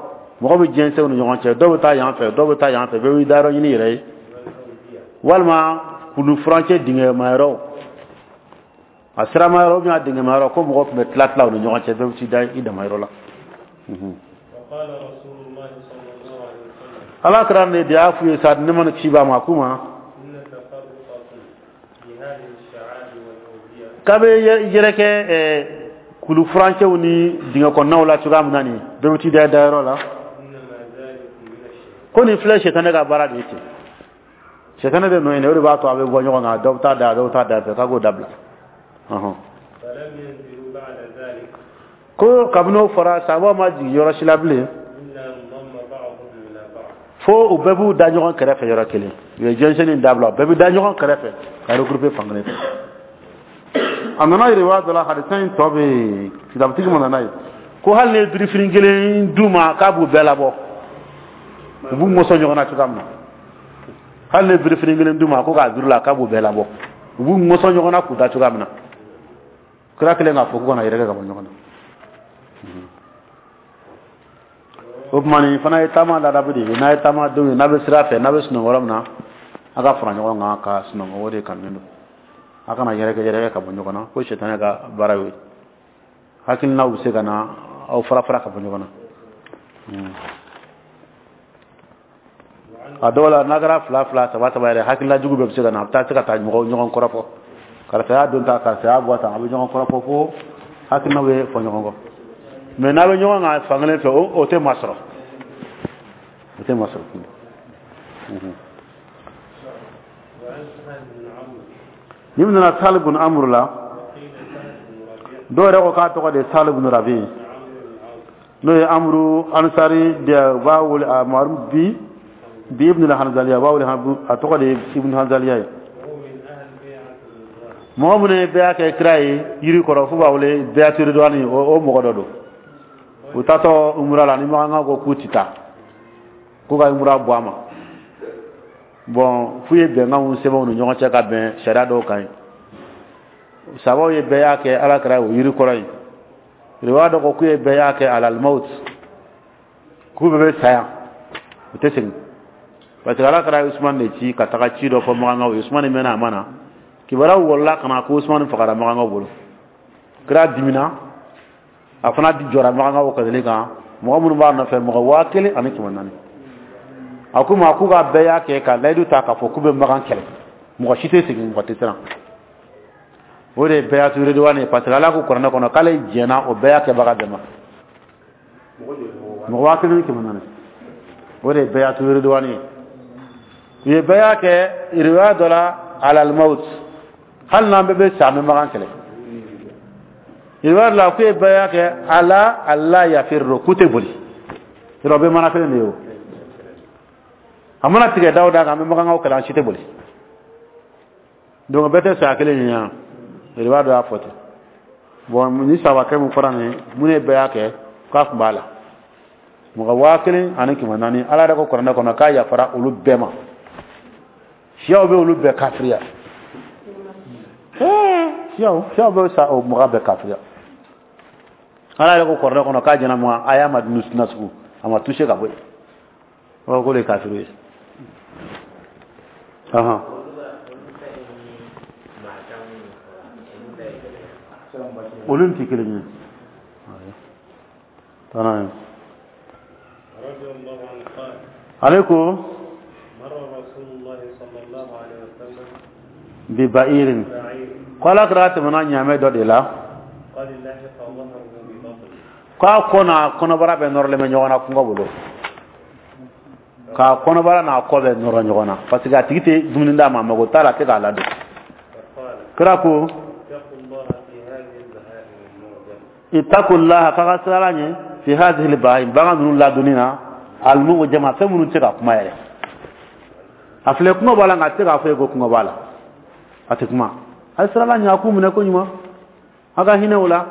mɔgɔ bɛ jɛnsɛn u ni ɲɔgɔn cɛ, dɔw bɛ taa yan fɛ, dɔw bɛ taa yan fɛ, bɛɛ b'i dayɔrɔ ɲini yɛrɛ ye, walima kulu furancɛ dingɛmayɔrɔw, a siramayɔrɔ ou bien a dingɛmayɔrɔ, ko mɔgɔw tun bɛ tila tila u ni ɲɔgɔn cɛ, bɛɛ bɛ t'i da i damayɔrɔ la. Ala kɛra ne de y'a f'u ye sa, ne mana ci ba ma k'u ma k'a bɛ yɛrɛ kɛ kulu furancɛw ni dingɛ kɔnɔnaw la cogoya min na nin, bɛɛ bɛ t'i da dayɔrɔ la. Ko nin filɛ sitanɛ ka baara de ye ten, sitanɛ de nɔ ye, o de b'a to a bɛ bɔ ɲɔgɔn kan, dɔw bɛ taa da, dɔw bɛ taa da fɛ, k'a k'o dabila. Ko kabini o fɔra, sabaw ma jigin yɔrɔ si la bilen fo u bɛɛ b'u da ɲɔgɔn kɛrɛfɛ yɔrɔ kelen. U ye jɛnsɛnni dabila, u bɛɛ bɛ da ɲɔgɔn kɛrɛfɛ ka regrouper fan kelen fɛ. A nana yiriwa dɔ la, hadisa in tɔ bɛ yen, kitabutigi ma nana ye ko hali ni ye birifini kelen d'u ma, k'a b'u bɛɛ labɔ, u b'u mɔsɔn ɲɔgɔn na cogoya min na. Hali ni ye birifini kelen d'u ma ko k'a juru la, k'a b'u bɛɛ labɔ, u b'u mɔsɔn ɲɔgɔn na k'u da cogoya min na. Kira kelen k'a fɔ k'u kana yɛrɛkɛ ka bɔ ɲɔgɔn na. O tuma nin fana ye taama ladabu de ye. N'a ye taama denw ye, n'a bɛ sira fɛ, n'a bɛ sunɔgɔ yɔrɔ min na, a ka fara ɲɔgɔn kan ka sunɔgɔ, o de kanunen don. A kana yɛrɛkɛ yɛrɛkɛ ka bɔ ɲɔgɔn na, ko sitanɛ ka baara y'o ye. Hakilinaw bɛ se ka na aw fara fara ka bɔ ɲɔgɔn na. A dɔw la n'a kɛra fila fila saba saba yɛrɛ, hakilila jugu bɛɛ bɛ se ka na, a bɛ taa se ka taa mɔgɔw ɲɔgɔn kɔrɔfɔ, karisa y'a don tan, karisa y'a bɔ tan, a bɛ ɲɔgɔn kɔrɔfɔ fo hakilinaw bɛ fɔ ɲɔgɔn kɔ. Mais n'a bɛ ɲɔgɔn kan fankelen fɛ, o tɛ masɔrɔ, o tɛ masɔrɔ. Ni min nana Sahal ibn Amr la, dɔw yɛrɛ ko k'a tɔgɔ de ye Sahal ibn Rabi, n'o ye Amru Ansari de, b'a wele a maaru bi bi ibn al-Hanzaliya, b'a wele a tɔgɔ de ye ibn Hanzaliya ye. Mɔgɔ minnu ye bɛɛ kɛ kira ye yiri kɔrɔ, f'u b'a wele bɛɛ ridwani, o mɔgɔ dɔ don. U taatɔ umura la, ni makan ko k'u ti taa, k'u ka umura bɔ a ma. Bon, f'u ye bɛnkanw sɛbɛn u ni ɲɔgɔn cɛ ka bɛn sariya dɔw kan ye. Sabaw ye bɛɛ y'a kɛ ala kɛra o yiri kɔrɔ ye. Riwaya dɔ ko k'u ye bɛɛ y'a kɛ alal maut, k'u bɛɛ bɛ saya, u tɛ segin. Parce que ala kɛra Usman de ci ka taga ci dɔ fɔ makankaw ye. Usman mɛnna a ma na, kibaruyaw wɔlɔla ka na ko Usman fagara makankaw bolo. Kira dimina, a fana jɔra makankaw kɛlɛli kan, mɔgɔ minnu b'a nɔfɛ, mɔgɔ 1400. A ko ma k'u ka bɛɛ y'a kɛ ka layidu ta k'a fɔ k'u bɛ makan kɛlɛ, mɔgɔ si tɛ segin, mɔgɔ tɛ siran. O de ye bɛɛ ridwani ye, parce que ala ko kuranɛ kɔnɔ k'ale jɛnna o bɛɛ y'a kɛbaga bɛɛ ma, mɔgɔ 1400. O de ye bɛɛ ridwani ye. U ye bɛɛ y'a kɛ riwaya dɔ la alal maut, hali n'an bɛɛ bɛ sa, an bɛ makan kɛlɛ. Riwaya dɔ la k'u ye bɛɛ y'a kɛ ala ala yafirro, k'u tɛ boli. Yɔrɔ bɛɛ mana kelen de ye o. A mana tigɛ daw da kan, an bɛ makankaw kɛlɛ, an si tɛ boli. Donc bɛɛ tɛ saya kelen ye yan. Riwaya dɔ y'a fɔ ten. Bon, ni sabakɛ mun fɔra nin ye, mun ye bɛɛ y'a kɛ k'a tun b'a la, mɔgɔ 1400. Ala yɛrɛ ko kuranɛ kɔnɔ k'a yafara olu bɛɛ ma. Siyaw bɛ olu bɛɛ kafiriya, siyaw bɛ sa o mɔgɔ bɛɛ kafiriya. Ala yɛrɛ ko kuranɛ kɔnɔ k'a jɛna mɔgɔ a y'a ma nasugu, a ma touché ka bɔ yen. O ko de ye kafiri ye. Olu tɛ kelen ye. Tana ye. Ale ko bi ba'irin, ko ala kɛra tɛmɛna ɲaamɛ dɔ de la, k'a kɔ n'a kɔnɔbara bɛ nɔrɔlen bɛ ɲɔgɔn na kungo bolo, k'a kɔnɔbara n'a kɔ bɛ nɔrɔ ɲɔgɔn na, parce que a tigi tɛ dumuni d'a ma, a mago t'a la, a tɛ k'a ladon. Kira ko ittaqullaha, k'a ka siran ala ɲɛ, fi hadhihi al-bahim, bagan ninnu ladonni na, al-mu'jama, fɛn minnu tɛ se ka kuma yɛrɛ. A filɛ kungo b'a la, nka a tɛ se k'a fɔ ye ko kungo b'a la, a tɛ kuma. A ye siran ala ɲɛ, a k'u minɛ ko ɲuman, a ka hinɛ o la.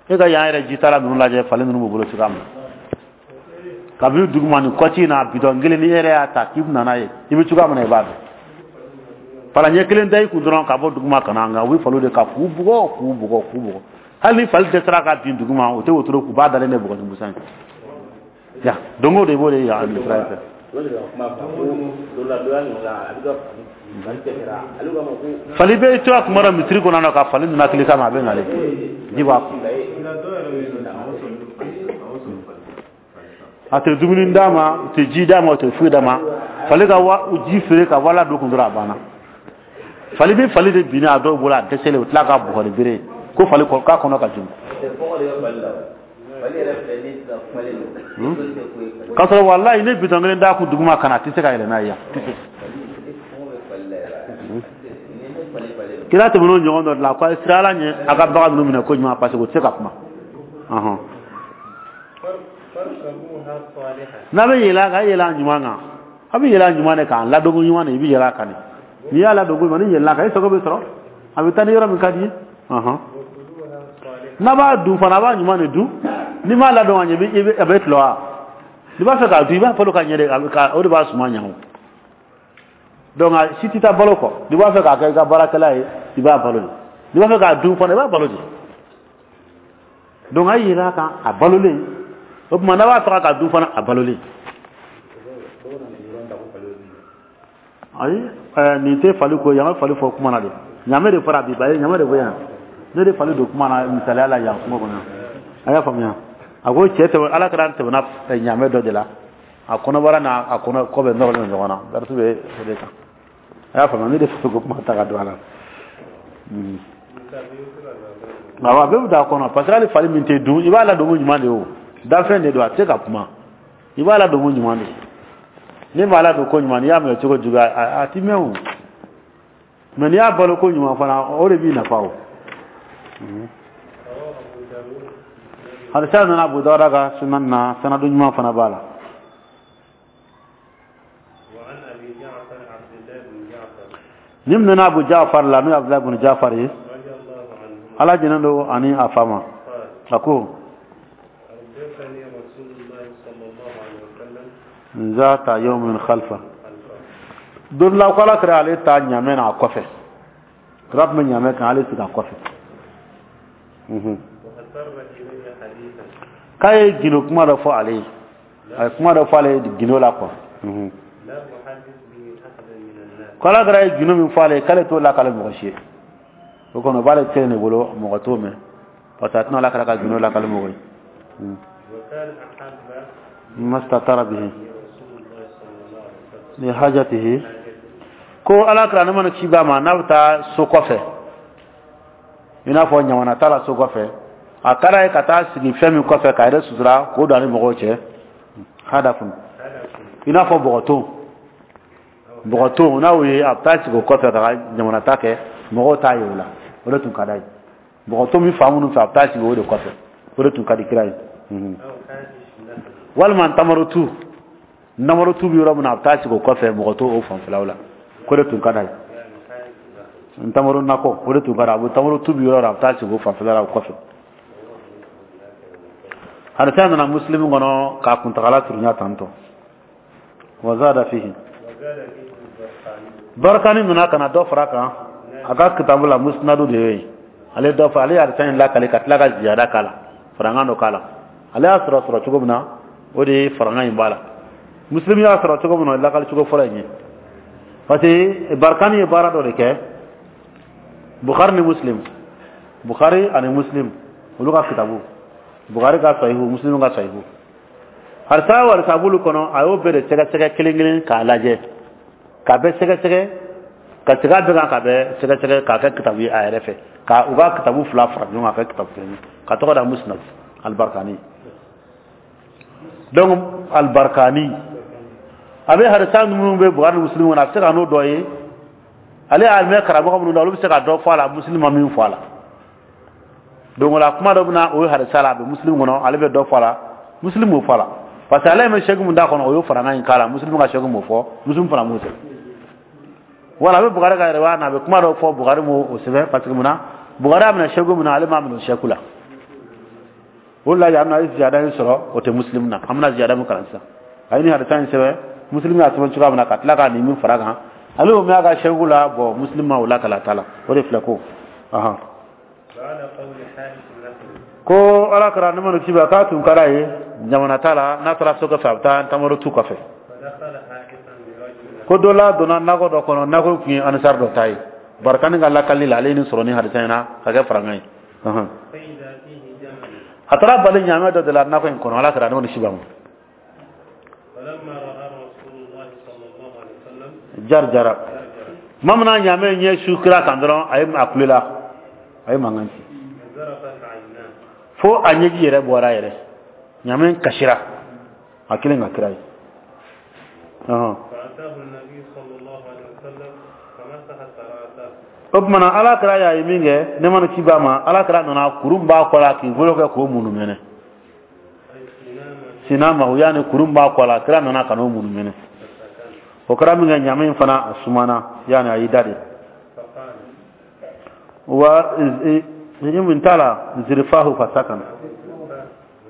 E ka yan yɛrɛ jitala ninnu lajɛ, falen ninnu b'u bolo cogoya min na. Kabini duguma ni kɔci in na, bidɔn kelen ni e yɛrɛ y'a ta k'i bɛ na n'a ye, i bɛ cogoya min na i b'a dɔn. Fala ɲɛ kelen da i kun dɔrɔn ka bɔ duguma ka na, nka u bɛ faliw de ka k'u bugɔ, k'u bugɔ, k'u bugɔ. Hali ni fali dɛsɛra ka bin duguma, o tɛ wotoro k'u b'a dalen de bugɔ ni busan ye. Ya don o don i b'o de ye yan sira in fɛ. Fali bɛ to a kuma dɔ misiri kɔnɔ na ka fali nana kile kama, a bɛ nalen ji b'a kun. A tɛ dumuni d'a ma, u tɛ ji d'a ma, u tɛ foyi d'a ma. Fali ka ji feere ka wala don kun dɔrɔn, a banna. Fali bɛ fali de binna a dɔw bolo, a dɛsɛlen, u tila ka bugɔ ni bere ye ko fali k'a kɔnɔ ka jugu. K'a sɔrɔ walayi ne bitɔn kelen d'a kun duguma ka na, a tɛ se ka yɛlɛ n'a ye yan. Kira tɛmɛn'o ɲɔgɔn dɔ de la, ko a ye siran ala ɲɛ, a ka bagan ninnu minɛ ko ɲuman, parce que u tɛ se ka kuma. N'a bɛ yɛlɛ a kan, a yɛlɛ a ɲuman kan, a bɛ yɛlɛ a ɲuman de kan, ladonko ɲuman de i bɛ yɛlɛ a kan de. N'i y'a ladonko ɲuman, n'i yɛlɛla a kan, i sago bɛ sɔrɔ, a bɛ taa ni yɔrɔ min ka di ye. N'a b'a dun fana, a b'a ɲuman de dun. N'i m'a ladon ka ɲɛ, a bɛ tulɔ wa? N'i b'a fɛ k'a dun, i b'a balo ka ɲɛ de, o de b'a suma ɲɛ o. Donc a si tɛ taa balo kɔ. N'i b'a fɛ k'a kɛ i ka baarakɛla ye, i b'a balo de. N'i b'a fɛ k'a dun fana, i b'a balo de. Donc a yɛlɛ a kan, a balolen. O tuma n'a b'a faga k'a dun fana, a balolen. Ayi, nin tɛ fali ko, yan ka fali fɔ kuma na de. Ɲamɛ de fɔra bi, ba ye ɲamɛ de fɔ yan. Ne de fali don kuma na misaliya la yan kungo kɔnɔ. A y'a faamuya. A ko cɛ tɛmɛ, ala kɛra tɛmɛna ɲamɛ dɔ de la. A kɔnɔbara n'a a kɔnɔ kɔ bɛ nɔrɔlen ɲɔgɔn na. Darisu bɛ o de kan. A y'a faamuya, ne de fɛ ko kuma ta ka don a la. Awɔ, a bɛɛ bɛ don a kɔnɔ, parce que hali fali min tɛ dun, i b'a ladon ko ɲuman de ye o. Danfɛn de don, a tɛ se ka kuma. I b'a ladon ko ɲuman de. N'i m'a ladon ko ɲuman, n'i y'a minɛ cogo jugu, a ti mɛn o. Mais n'i y'a balo ko ɲuman fana, o de b'i nafa o. Hadisa nana Abu Dawuda ka sunan na, sanadu ɲuman fana b'a la. Ni nana Abu Ja'far la, n'o ye Abdulahi ibn Ja'far ye, Ala jɛnnen don ani a fa ma, a ko zata yawmin khalfa, don la ko Ala kɛra ale ta ɲamɛ n'a kɔfɛ, kira tun bɛ ɲamɛ kan, ale sigi a kɔfɛ. K'a ye gindo kuma dɔ fɔ ale ye, a ye kuma dɔ fɔ ale ye gindo la quoi. Ko Ala kɛra ye gindo min fɔ ale ye, k'ale t'o lakale mɔgɔ si ye. O kɔnɔ o b'ale kelen de bolo, mɔgɔ t'o mɛn, parce que a tɛna Ala kɛra ka gindo lakale mɔgɔ ye. Mastatara bihi li hajatihi, ko Ala kɛra ne mana ci b'a ma, n'a bɛ taa so kɔfɛ, i n'a fɔ ɲamana t'a la so kɔfɛ, a ka d'a ye ka taa sigi fɛn min kɔfɛ k'a yɛrɛ sutura k'o don a ni mɔgɔw cɛ, hadafun, i n'a fɔ bɔgɔton, bɔgɔton n'a y'o ye, a bɛ taa sigi o kɔfɛ ka ɲamana ta kɛ, mɔgɔw t'a ye o la, o de tun ka d'a ye. Bɔgɔton min fa minnu fɛ, a bɛ taa sigi o de kɔfɛ, o de tun ka di kira ye. Walima ntamaro tu, ntamaro tu bɛ yɔrɔ min na, a bɛ taa sigi o kɔfɛ, mɔgɔ t'o o fanfɛlaw la, k'o de tun ka d'a ye. Ntamaro nakɔ, o de tun ka d'a ye, a bɛ ntamaro tu bɛ yɔrɔ la, a bɛ taa sigi o fanfɛla la o kɔfɛ. Hadisa nana Muslim kɔnɔ k'a kuntagala surunya tantɔ. Wa zada fihi, Barikani nana ka na dɔ fara kan a ka kitabu la, musnadu de ye ale dɔ fara, ale ye hadisa in lakale ka tila ka ziyada k'a la, farankan dɔ k'a la. Ale y'a sɔrɔ cogo min na, o de ye farankan in b'a la. Muslim y'a sɔrɔ cogo min na, o ye lakali cogo fɔlɔ in ye, parce que Barikani ye baara dɔ de kɛ. Bukhari ni Muslim, Bukhari ani Muslim olu ka kitabu, Bukhari ka sahihu, Muslim ka sahihu, hadisa o hadisa b'olu kɔnɔ, a y'o bɛɛ de sɛgɛsɛgɛ kelen kelen k'a lajɛ, k'a bɛɛ sɛgɛsɛgɛ, ka segin a bɛɛ kan, k'a bɛɛ sɛgɛsɛgɛ k'a kɛ kitabu ye a yɛrɛ fɛ, ka u ka kitabu fila fara ɲɔgɔn kan k'a kɛ kitabu kelen ye, ka tɔgɔ da Musnad al-Barkani. Donc al-Barkani a bɛ hadisa minnu bɛ Bukhari ni Muslim kɔnɔ, a bɛ se ka n'o dɔ ye, ale y'a mɛn karamɔgɔ minnu na, olu bɛ se ka dɔ fɔ a la, Muslim ma min fɔ a la. Donc o la kuma dɔ bɛ na o ye hadisa la, a bɛ Muslim kɔnɔ, ale bɛ dɔ fɔ a la, Muslim m'o fɔ a la, parce que ale ye sɛki mun d'a kɔnɔ, o y'o farankan in k'a la, Muslim ka sɛki m'o fɔ, Muslim fana m'o sɛbɛn. Wala a bɛ Bukhari ka yɛrɛ na, a bɛ kuma dɔ fɔ, Bukhari m'o sɛbɛn, parce que mun na, Bukhari y'a minɛ sɛki mun na, ale m'a minɛ o sɛki la. O de la yan nɔ a ye ziyada in sɔrɔ, o tɛ Muslim na. An bɛna ziyada min kalan sisan, a ye nin hadisa in sɛbɛn, Muslim y'a sɛbɛn cogoya min na, ka tila ka nin min fara kan, ale y'o mɛn a ka sɛki la, bon Muslim ma o lakala ta la, o de filɛ ko ahan. Ko Ala kɛra ne mana ci ba, k'a tun ka d'a ye jamana ta la, n'a taara so kɔfɛ, a bɛ taa ntamaro tu kɔfɛ. Ko dɔ la donna nakɔ dɔ kɔnɔ, nakɔ tun ye anisari dɔ ta ye. Barikani ka lakali la, ale ye nin sɔrɔ ni hadisa in na ka kɛ farankan ye. A taara bali ɲaamɛ dɔ de la nakɔ in kɔnɔ, Ala kɛra ne mana ci ba ma. Jar jara tuma min na ɲaamɛ ɲɛ su kira kan dɔrɔn, a ye a kulela, a ye mankan ci fo a ɲɛji yɛrɛ bɔra yɛrɛ, ɲaamɛ kasira a kelen ka kira ye. O tuma na Ala kɛra y'a ye min kɛ, ne mana ci b'a ma, Ala kɛra nana kurun b'a kɔ la k'i bolo kɛ k'o munumɛnɛ, sinama o yaani kurun b'a kɔ la, kira nana ka n'o munumɛnɛ. O kɛra min kɛ, ɲaamɛ in fana a sumana, yaani a y'i da de wa min t'a la, zirifahu fasakan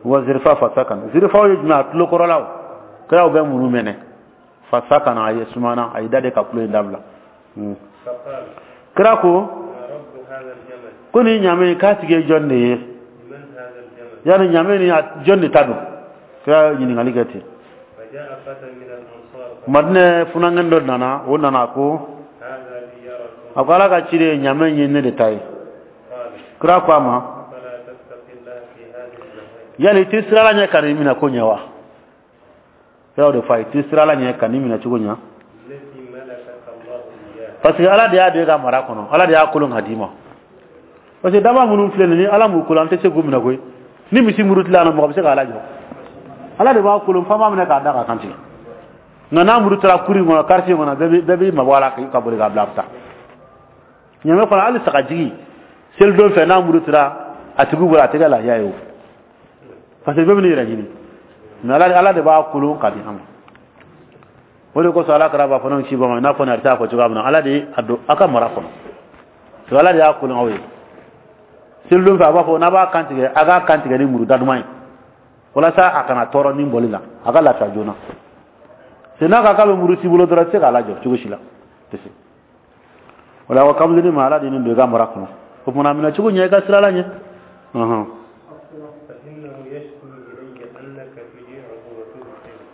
wa zirifa fasakan, zirifaw ye jumɛn, a tulo kɔrɔlaw, kiraw bɛ munumɛnɛ, fasakan a ye sumana, a y'i da de ka tulo in dabila. Kira ko ko ni ɲaamɛ k'a tigi ye jɔn de ye, yaani ɲaamɛ ni jɔn de ta don, kira ɲininkali kɛ ten. Madinɛ funankɛnin dɔ nana, o nana ko a ko Ala ka ciden, ɲaamɛ ye ne de ta ye. Kira ko a ma, yali i tɛ siran Ala ɲɛ ka n'i minɛ ko ɲɛ wa? Kira o de fɔ a ye, t'i sira ala ɲɛ ka nin minɛ cogo ɲa, parce que ala de y'a don e ka mara kɔnɔ, ala de y'a kolon ka d'i ma. Parce que daba minnu filɛ nin ni ala m'u kolon, an tɛ se k'u minɛ koyi. Ni misi murutila na, mɔgɔ bɛ se k'a lajɔ? Ala de b'a kolon, f'an b'a minɛ k'a da k'a kantigɛ. Nka n'a murutila kuru in kɔnɔ, quartier kɔnɔ, bɛɛ b'i mabɔ a la ka boli k'a bila a bɛ taa. Ɲamɛ fana, hali sagajigi selidon fɛ, n'a murutila a tigi bolo, a tɛ kɛ lafiya ye o, parce que bɛɛ bɛ n'i yɛrɛ ɲini. Mais ala de b'a kolon ka di an ma. O de kosɔn ala kɛra b'a fɔ n'o ci ba ma, i n'a fɔ nin a fɔ cogoya min na, ala de a don aw ka mara kɔnɔ, parce que ala de y'a kolon aw ye. Selidon fɛ, a b'a fɔ n'a b'a kan tigɛ, a k'a kan tigɛ ni muru da duman ye, walasa a kana tɔɔrɔ ni bɔli la, a ka lafiya joona. C'est n'a ka k'a bɛ muru t'i bolo dɔrɔn, i tɛ se k'a lajɔ cogo si la, tɛ se. O la, kamalen ma, ala de nin don i ka mara kɔnɔ, o tuma a minɛ cogo ɲɛ, i ka sira ala ɲɛ.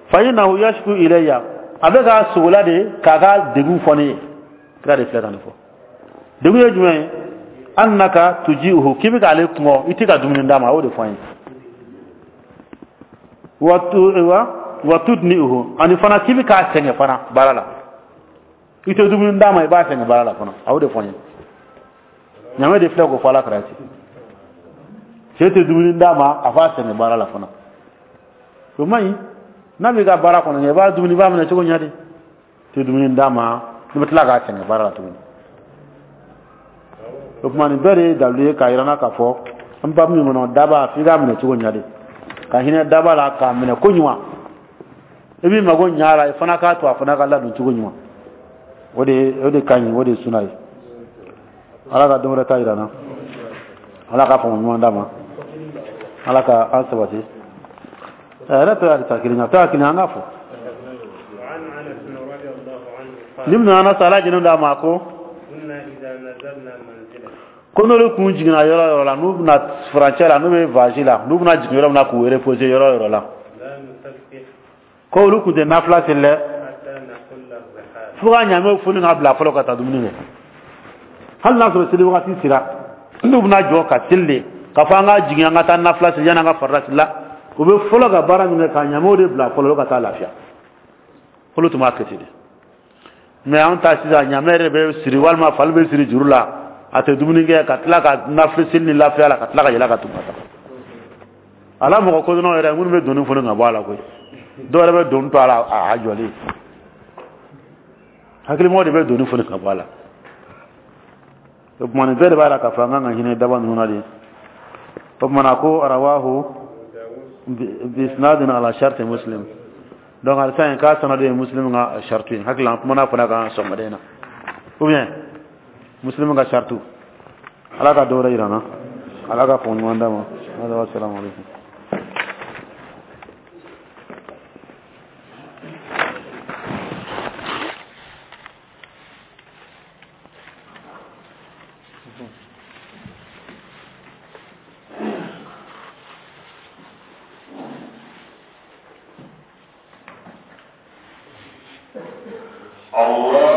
Fa innahu yashku ilayya, a bɛ ka sogola de k'a ka degun fɔ ne ye. Kira de filɛ ka nin fɔ. Degun ye jumɛn ye? Annaka tuji'uhu, k'i bɛ k'ale kɔngɔ, i tɛ ka dumuni d'a ma, a y'o de fɔ an ye. Wa tudni'uhu, ani fana k'i bɛ k'a sɛgɛn fana baara la, i tɛ dumuni d'a ma, i b'a sɛgɛn baara la fana, a y'o de fɔ an ye. Ɲamɛ de filɛ k'o fɔ ala kɛra ten, cɛ tɛ dumuni d'a ma, a b'a sɛgɛn baara la fana, o man ɲi. N'a b'i ka baara kɔnɔ, i b'a dumuni, i b'a minɛ cogo ɲɛ de, tɛ dumuni d'a ma, i bɛ tila k'a sɛgɛn baara la tuguni. O tuma nin bɛɛ de ye dalilu ye k'a yira n na k'a fɔ an ba min kɔnɔ, daba f'i k'a minɛ cogo ɲɛ de, ka hinɛ daba la k'a minɛ ko ɲuman, i b'i mago ɲɛ a la, i fana k'a to a fana ka ladon cogo ɲuman. O de ka ɲi, o de ye suna ye. Ala ka don wɛrɛ ta yira n na, ala ka faamu ɲuman d'a ma, ala ka an sabati. Yɛrɛ tɔ y'a ta kelen a tɔ y'a kelen, an k'a fɔ. Ni min nana sa, ala jɛnɛ d'a ma ko ko n'olu kun jiginna yɔrɔ yɔrɔ la, n'u bɛna furancɛ la, n'u bɛ voyage la, n'u bɛna jigin yɔrɔ min na k'u reposer yɔrɔ yɔrɔ la, ko olu kun tɛ nafila seli dɛ, fo ka ɲamɛw foni ka bila fɔlɔ ka taa dumuni kɛ. Hali n'a sɔrɔ seli wagati sera, n'u bɛna jɔ ka seli de, k'a fɔ an ka jigin an ka taa nafila seli yanni an ka farida seli la, u bɛ fɔlɔ ka baara min kɛ, ka ɲamɛw de bila fɔlɔ ka taa lafiya. Olu tun b'a kɛ ten de. Mais an ta sisan, ɲamɛ yɛrɛ bɛ siri walima fali bɛ siri juru la, a tɛ dumuni kɛ, ka tila ka nafila seli ni lafiya la, ka tila ka yɛlɛ ka tugu ka taa. Ala mɔgɔ kodɔnnaw yɛrɛ minnu bɛ doni foni ka bɔ a la koyi, dɔw yɛrɛ bɛ doni to a la a jɔlen, hakilimɔgɔ de bɛ doni foni ka bɔ a la. O tuma nin bɛɛ de b'a la k'a fɔ an kan ka hinɛ daba ninnu na de. O tuma na ko arawahu bisnadin ala sharti muslim, donc alisa in k'a sanadu ye muslim ka shartu ye. Hakili la an kumana fana kan sɔgɔmada in na, ou bien muslim ka shartu. Ala ka dɔ wɛrɛ yira n na, ala ka faamu ɲuman d'a ma. Assalamu alaikum. Allah.